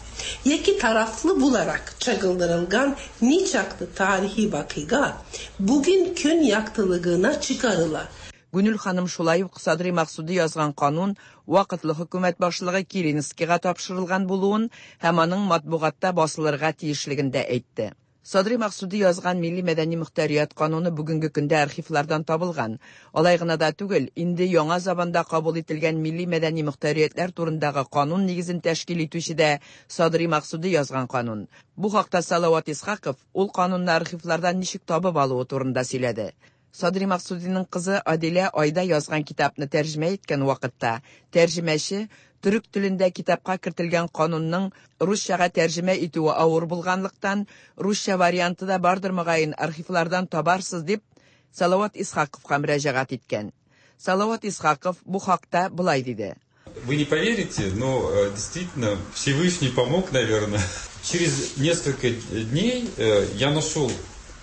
yeki taraflı bularak çagıldırılgan niçaklı tarihi vakıga bugün kün yaktılığına çıkarıla. Гүнел ханым шулай ук Садри Максуди язган канун вакытлы хөкүмәт башлыгы Керенскийга тапшырылган булуын һәм аның матбугатта басылырга тиешлеген дә әйтте. Садри Максуди язган Милли мәдәни мөхтәрият кануны бүгенге көндә архивлардан табылган. Алай гына да түгел, инде яңа заманда кабул ителгән милли мәдәни мөхтәриятләр турындагы канун нигезен тәшкил итүче дә Садри Максуди язган канун. Бу хакта Салават Исхаков ул канунны архивлардан ничек табып алуы турында сөйләде. Садри Максудиның кызы Адилә Айда язган китапны тәрҗемә иткән вакытта тәрҗемәче төрек телендә китапка кертелгән канунның русчага тәрҗемә итүе авыр булганлыктан, русча варианты да бардыр мөгаен, архивлардан табарсыз дип Салават Исхаковка мөрәҗәгать иткән. Салават Исхаков бу хакта болай диде. Вы не поверите, но действительно Всевышний помог, наверное. Через несколько дней я нашел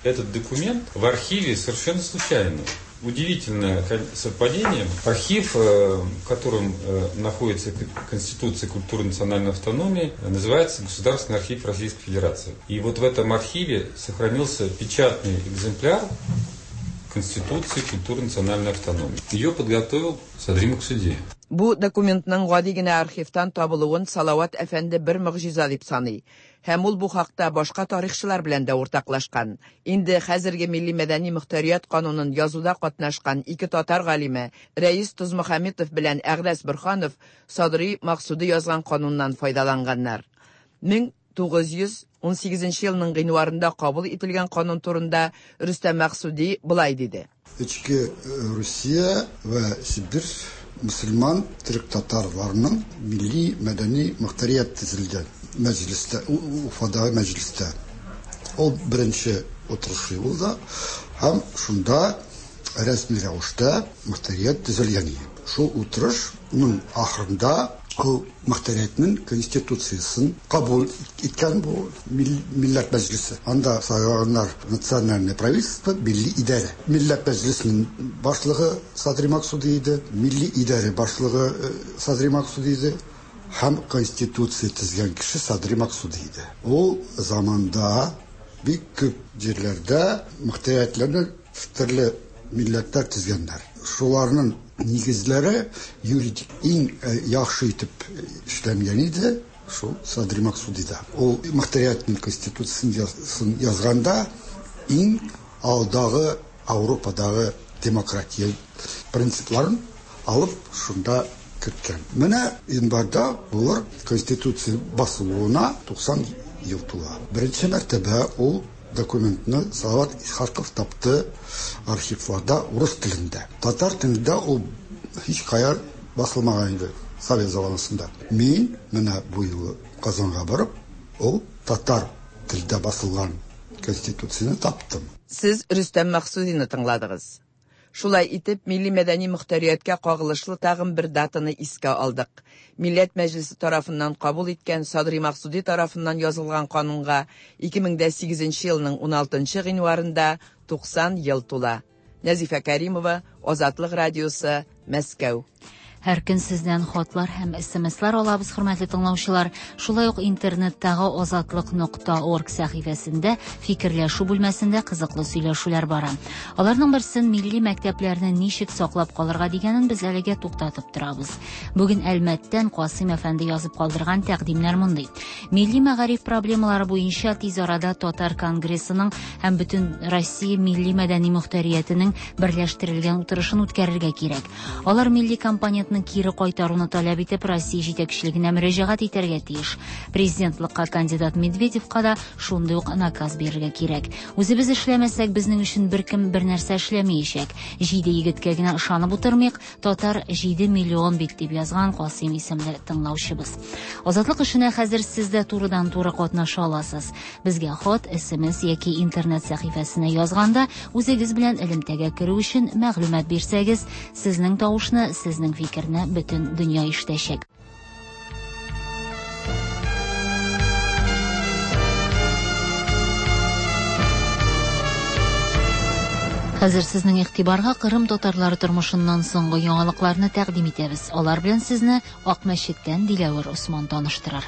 этот документ в архиве совершенно случайно. Удивительное совпадение. Архив, в котором находится Конституция культуры национальной автономии, называется Государственный архив Российской Федерации. И вот в этом архиве сохранился печатный экземпляр Конституции культуры национальной автономии. Ее подготовил Садри Максуди. Бу документның гади генә архивтан табылуын Салават әфәнде бер могҗиза дип саный. Һәм ул бу хакта башка тарихчылар белән дә уртаклашкан. Инде хәзерге милли мәдәни мөхтәрият канунын язуда катнашкан ике татар галиме Рәис Тузмөхәммәтов белән Әгъләс Борһанов Садри Максуди язган кануннан файдаланганнар. 1918 елның гыйнварында кабул ителгән канун турында Рөстәм Максуди болай диде. Эчке Русия вә Сибир мөселман төрек татарларының милли мәдәни мөхтәрият төзелде мәҗлестә, Уфадагы мәҗлестә. Ул беренче утырышы булды һәм шунда рәсми рәвештә мөхтәрият төзелгән иде. Шул утырышның ахырында ул мөхтәриятнең конституциясен кабул иткән бу Милләт мәҗлесе. Анда сайлаганнар национальное правительство, милли идарә. Милләт мәҗлесенең башлыгы Садри Максуди иде, милли идарә башлыгы Садри Максуди иде һәм конституция төзгән кеше Садри Максуди иде. Ул заманда бик күп җирләрдә мөхтәриятләрне төрле милләтләр төзгәннәр. Шуларның нигезләре юридик иң яхшы итеп эшләнгән иде шул Садри Максудида. Ул мөхтәриятнең конституциясын язганда иң алдагы Ауропадагы демократия принципларын алып шунда керткән. Менә январьда булыр конституция басылуына 90 ел тула. Беренче мәртәбә ул документны Салават Исхаков тапты архивларда урыс телендә. Татар телендә ул һич кая басылмаган иде Совет заманасында. Мин менә бу юлы Казанга барып, ул татар телдә басылган конституцияне таптым. Сез Рөстәм Максудины тыңладыгыз. Шулай итеп, милли мәдәни мөхтәрияткә кагылышлы тагын бер датаны искә алдык. Милләт Мәҗлесе тарафыннан кабул иткән Садри Максуди тарафыннан язылган канунга 2008 елның 16 гыйнварында 90 ел тула. Нәзифә Кәримова, Азатлык радиосы, Мәскәү. Һәр көн сездән хатлар һәм СМСлар алабыз, хөрмәтле тыңлаучылар. Шулай ук интернеттагы азатлык.орг сәхифәсендә фикерләшү бүлмәсендә кызыклы сөйләшүләр бара. Аларның берсен милли мәктәпләрне ничек саклап калырга дигәнен без әлегә туктатып торабыз. Бүген Әлмәттән Касыйм әфәнде язып калдырган тәкъдимнәр мондый. Милли мәгариф проблемалары буенча тиз арада Татар конгрессының һәм бөтен Россия милли мәдәни мөхтәриятенең берләштерелгән утырышын үткәрергә кирәк. Алар милли компонентны Азатлыкны кире кайтаруны таләп итеп Россия җитәкчелегенә мөрәҗәгать итәргә тиеш. Президентлыкка кандидат Медведевка да шундый ук наказ бирергә кирәк. Үзебез эшләмәсәк, безнең өчен беркем бернәрсә эшләмәячәк. Җиде егеткә генә ышанып утырмыйк, татар 7 миллион бит, дип язган Касыйм исемле тыңлаучыбыз. Азатлык эшенә хәзер сез дә турыдан-туры катнаша аласыз. Безгә хат, SMS яки интернет сәхифәсенә язганда үзегез белән элемтәгә керү өчен мәгълүмат бирсәгез, сезнең тавышны, сезнең фикерне бөтен дөнья ишетәчәк. Хәзер сезнең игътибарга Кырым татарлары тормышыннан соңгы яңалыкларны тәкъдим итәбез. Алар белән сезне Акмәчеттән Диләвер Осман таныштырыр.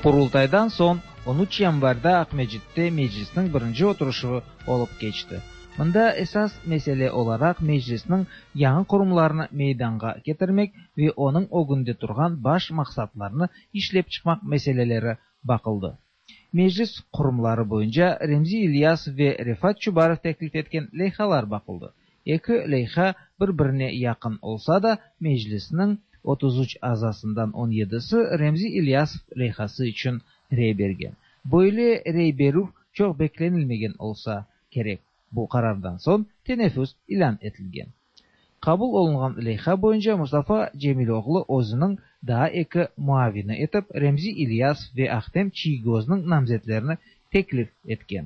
Qurultaydan soñ 13 yanvarda Aqmescitte Meclisniñ birinci oturışuvı olıp keçti. Mında esas mesele olaraq Meclisniñ yañı qurumlarını meydanğa ketirmek ve onıñ ögünde turğan baş maqsatlarnı işlep çıqmaq meseleleri baqıldı. Meclis qurumları boyunca Remzi İlyasov ve Refat Çubarov teklif etken leyhalar baqıldı. Eki leyha bir-birine yaqın olsa da, Meclisniñ 33 azasından on yedisi Remzi İlyasov leyhası içün rey bergen. Böyle rey berüv çoq beklenilmegen olsa kerek, bu qarardan soñ teneffüs ilân etilgen. Qabul olunğan leyha boyunca Mustafa Cemiloğlu özüniñ daa eki muavini etip Remzi İlyasov ve Ahtem Çiygoznıñ namzetlerini teklif etken.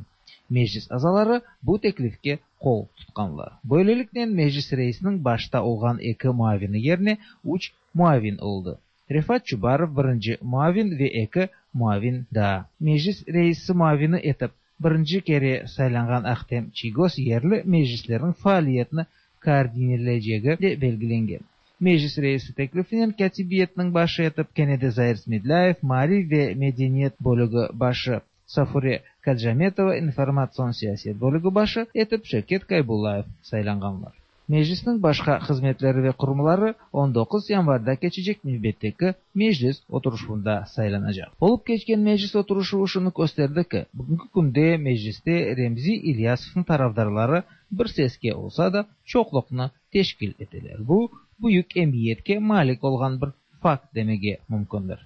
Meclis azaları bu teklifke qol tutqanlar. Böyleliknen Meclis reisiniñ başta olğan eki muavini yerine üç muavin oldı. Refat Çubarov birinci muavin ve eki muavin daa. Meclis reisi muavini etip birinci kere saylanğan Ahtem Çiygoz yerli meclislerniñ faaliyetini koordinirleycegi de belgilengen. Meclis reisi teklifinen Kâtibiyetniñ başı etip kene de Zair Smedlâyev, maarif ve medeniyet bölügi başı Safure Kacametova, informatsion siyaset bölügi başı etip Şevket Kaybullayev saylanğanlar. Meclisniñ başqa hızmetleri ve qurumları 19 yanvarda keçecek nevbetteki Meclis oturışuvında saylanacaq. Olıp keçken Meclis oturışuvı şunı kösterdi ki, bugünki künde Mecliste Remzi İlyasovnıñ tarafdarları bir seske olsa da, çoqluqnı teşkil eteler. Bu, büyük emiyetke malik olğan bir fakt demege mümkündir.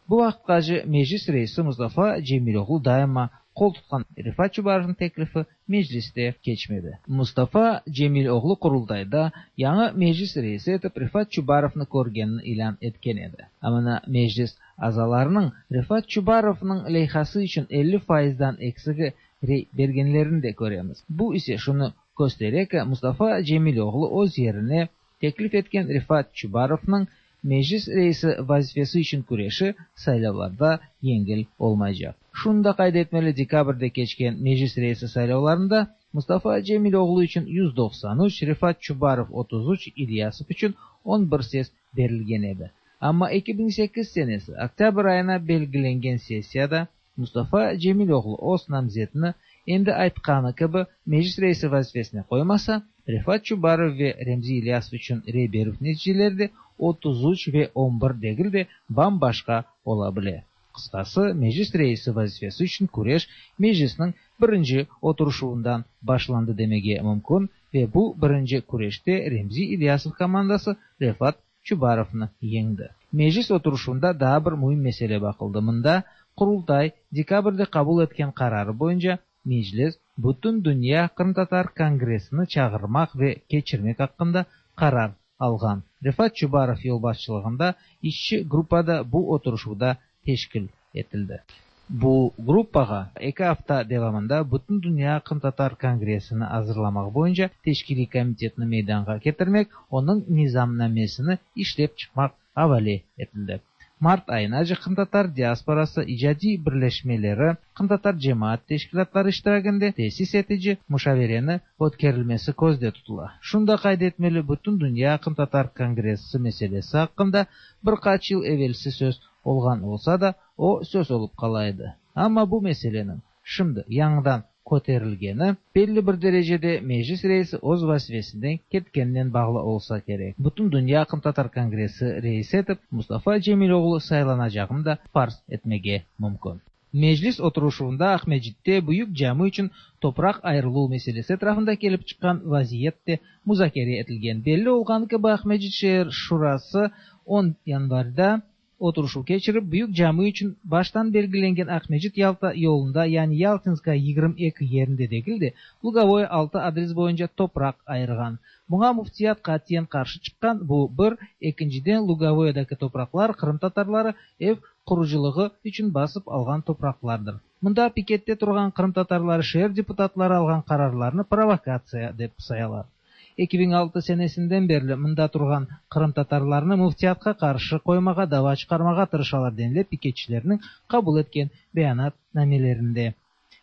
Bu vaqıtqace Meclis reisi Mustafa Cemiloğlu daima qol tutqan Refat Çubarovnıñ teklifi Mecliste keçmedi. Mustafa Cemiloğlu Qurultayda yañı Meclis reisi etip Refat Çubarovnı körgenini ilân etken edi. Amma Meclis azalarınıñ Refat Çubarovnıñ leyhası içün 50 faizdan eksigi rey bergenlerini de köremiz. Bu ise şunı köstere ki, Mustafa Cemiloğlu öz yerine teklif etken Refat Çubarovnıñ Meclis reisi vazifesi içün küreşi saylavlarda yengil olmaycaq. Şunı da qayd etmeli, dekabrde keçken Meclis reisi saylavlarında Mustafa Cemiloğlu içün 193, Refat Çubarov 33, İlyasov içün 11 ses berilgen edi. Amma 2008 senesi oktâbr ayına belgilengen sessiyada Mustafa Cemiloğlu öz namzetini endi aytqanı kibi Meclis reisi vazifesine qoymasa, Refat Çubarov ve Remzi İlyasov içün rey berüv neticeleri de 33 ve 11 degil de bam-başqa ola bile. Qısqası, Meclis reisi vazifesi içün küreş Meclisniñ birinci oturışuvından başlandı demege mümkün ve bu birinci küreşte Remzi İlyasov komandası Refat Çubarovnı yeñdi. Meclis oturışuvında daa bir müim mesele baqıldı. Mında Qurultay dekabrde qabul etken qararı boyunca Meclis Bütündünya qırımtatar kongressini çağırmaq ve keçirmek aqqında qarar alğan. Refat Çubarov yolbaşçılığında işçi gruppa da bu oturışuvda teşkil etildi. Bu gruppağa eki afta devamında Bütündünya qırımtatar kongressini azırlamaq boyunca teşkiliy komitetni meydanğa ketirmek, onıñ nizamnamesini işlep çıqmaq avale etildi. Mart ayınace qırımtatar diasporası icadiy birleşmeleri, qırımtatar cemaat teşkilâtları iştiraginde tesis etici muşavereni ötkerilmesi közde tutula. Şunı da qayd etmeli, Bütündünya qırımtatar kongressi meselesi aqqında bir qaç yıl evelsi söz olğan olsa da, o söz olıp qala edi. Amma bu meseleniñ şimdi yañıdan köterilgeni, belli bir derecede Meclis reisi öz vazifesinden ketkeninen bağlı olsa kerek. Bütündünya qırımtatar kongressi reisi etip Mustafa Cemiloğlu saylanacağını da farz etmege mümkün. Meclis oturışuvında Aqmescitte Büyük cami içün topraq ayırıluv meselesi etrafında kelip çıqqan vaziyet de muzakere etilgen. Belli olğanı kibi, Aqmescit şeer şurası on yanvarda oturışuv keçirip, Büyük cami içün baştan belgilengen Aqmescit-Yalta yolunda, yani Yaltinskaya 22 yerinde degil de, Lugovoye 6 adres boyunca topraq ayırğan. Buña müftiyat qatiyen qarşı çıqqan, bu, bir, ekinciden, Lugovoyedaki topraqlar qırımtatarları ev qurucılığı içün basıp alğan topraqlardır. Mında pikette turğan qırımtatarları şeer deputatları alğan qararlarnı provokatsiya dep sayalar. 2006 senesinden berli mında turğan qırımtatarlarnı müftiyatqa qarşı qoymağa dava çıqarmağa tırışalar, denile piketçilerniñ qabul etken beyanatnamelerinde.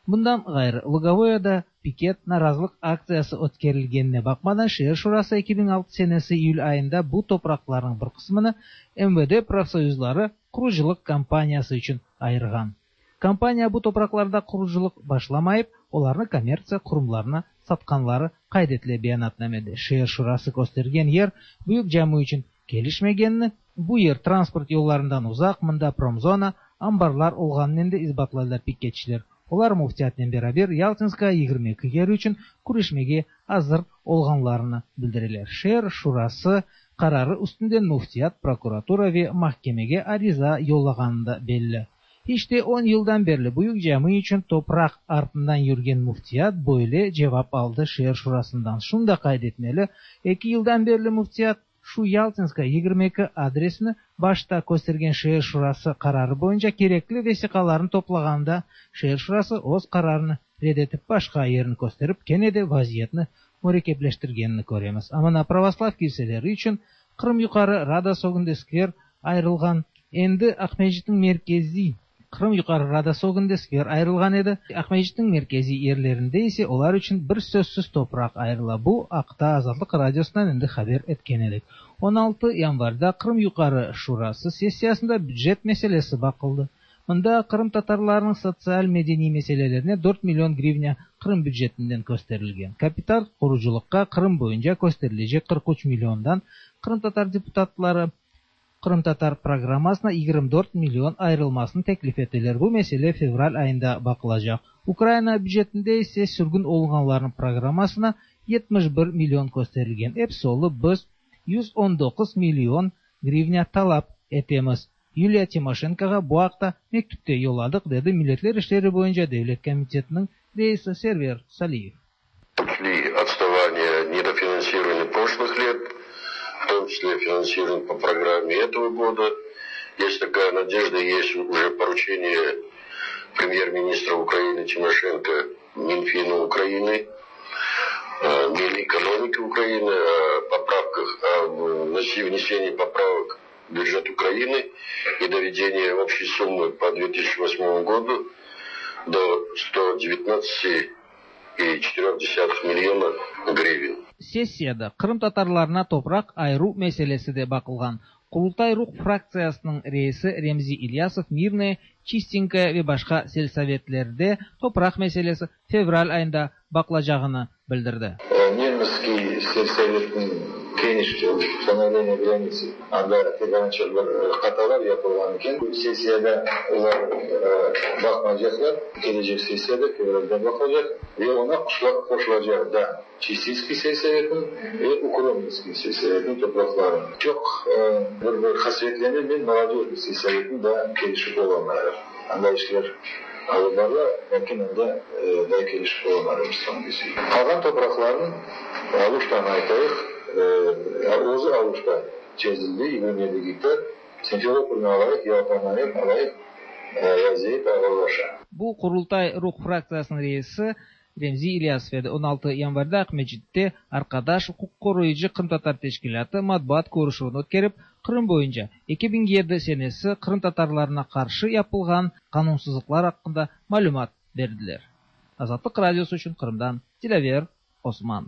Bundan ğayrı, Lugovoyada piket narazılıq aktsiyası ötkerilgenine baqmadan, şeer şurası 2006 senesi iyül ayında bu topraqlarnıñ bir qısmını MVD profsoyuzları qurucılıq kompaniyası içün ayırğan. Kompaniya bu topraqlarda qurucılıq başlamayıp, olarnı kommertsiya qurumlarına satqanları qayd etile beyanatnamede. Şeer şurası köstergen yer Büyük cami içün kelişmegenini, bu yer transport yollarından uzaq, mında promzona, anbarlar olğanınen de isbatlaylar piketçiler. Olar müftiyatnen beraber Yaltinskaya 22 yeri içün küreşmege azır olğanlarını bildireler. Şeer şurası qararı üstünden müftiyat prokuratura ve mahkemege ariza yollağanı da belli. İşte, on yıldan berli Büyük cami içün topraq artından yürgen müftiyat böyle cevap aldı şeer şurasından. Şunı da qayd etmeli, eki yıldan berli müftiyat şu Yaltinskaya 22 adresini başta köstergen şeer şurası qararı boyunca kerekli vesiqalarnı toplağanda, şeer şurası öz qararını red etip başqa yerni kösterip kene de vaziyetni mürekkepleştirgenini köremiz. A mına pravoslav kilseleri içün Qırım Yuqarı Radası ögünde skver ayırılğan endi Aqmescitniñ merkeziy Qırım Yuqarı Radası ögünde skver ayırılğan edi, Aqmescitniñ merkeziy yerlerinde ise olar içün bir sözsüz topraq ayırıla. Bu aqta Azatlıq Radiosından endi haber etken edik. 16 yanvarda Qırım Yuqarı Şurası sessiyasında bücet meselesi baqıldı. Mında qırımtatarlarnıñ sotsial-medeniy meselelerine dört million grivnâ Qırım bücetinden kösterilgen. Kapital qurucılıqqa Qırım boyunca kösterilecek 43 milliondan qırımtatar deputatları qırımtatar programmasına 24 million ayırılmasını teklif eteler. Bu mesele fevral ayında baqılacaq. Ukraina bücetinde ise sürgün olunğanlarnıñ programmasına 71 million kösterilgen. Episi olıp biz 119 million grivnâ talap etemiz. Yuliya Timoşenkoğa bu aqta mektüp te yolladıq, dedi Milletler işleri boyunca devlet komitetiniñ reisi Server Saliyev. Учли отставание, недофинансирование прошлых лет, в том числе финансирование по программе этого года. Есть такая надежда, есть уже поручение премьер-министра Украины Тимошенко Минфину Украины, Минэкономики Украины о поправках, о внесении поправок в бюджет Украины и доведение общей суммы по 2008 году до 119,4 миллиона гривен. Sessiyada qırımtatarlarına topraq ayıruv meselesi de baqılğan. Qurultay-Ruh fraktsiyasınıñ reisi Remzi İlyasov Mirnoye, Çistenkoye ve başqa selsovetlerde topraq meselesi fevral ayında baqılacağını bildirdi. Mirnskiy selsovetniñ keniş ustanovleniye granitsı, anda pek anca bir hatalar yapılğan eken. Bu sessiyada olar baqmaycaqlar, kelecek sessiyada, fevralde baqılacaq ve oña qoşulacaq da Çistinskiy selsovetniñ ve Ukrominskiy selsovetniñ topraqları. Çoq bir bir qasvetlenem men, Molodöjnıy selsovetniñ daa kelişip olamayıq. Anda işler alıp barıla, lâkin anda daa kelişip olamayıq, Ruslan Güziyev. Qalğan topraqlarnıñ, Aluştanı aytayıq, özü Aluşta çezildi, 27 gektar, Simferopolnı alayıq, Yaltanı alayıq, vaziyet ağırlaşa. Bu Qurultay-Ruh fraktsiyasınıñ reisi Remzi İlyasov edi. 16 yanvarda Aqmescitte Arqadaş uquqqoruyıcı qırımtatar teşkilâtı matbuat körüşüvini ötkerip, Qırım boyunca 2007 senesi qırımtatarlarına qarşı yapılğan qanunsızlıqlar aqqında malümat berdiler. Azatlıq Radiosı içün Qırımdan Dilâver Osman.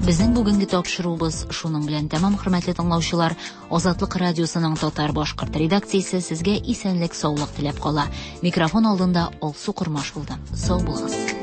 Безнең бүгенге тапшыруыбыз шуның белән тәмам, хөрмәтле тыңлаучылар. Азатлык радиосының татар-башкорт редакциясе сезгә исәнлек-саулык теләп кала. Микрофон алдында Алсу Кормаш булды. Сау булыгыз.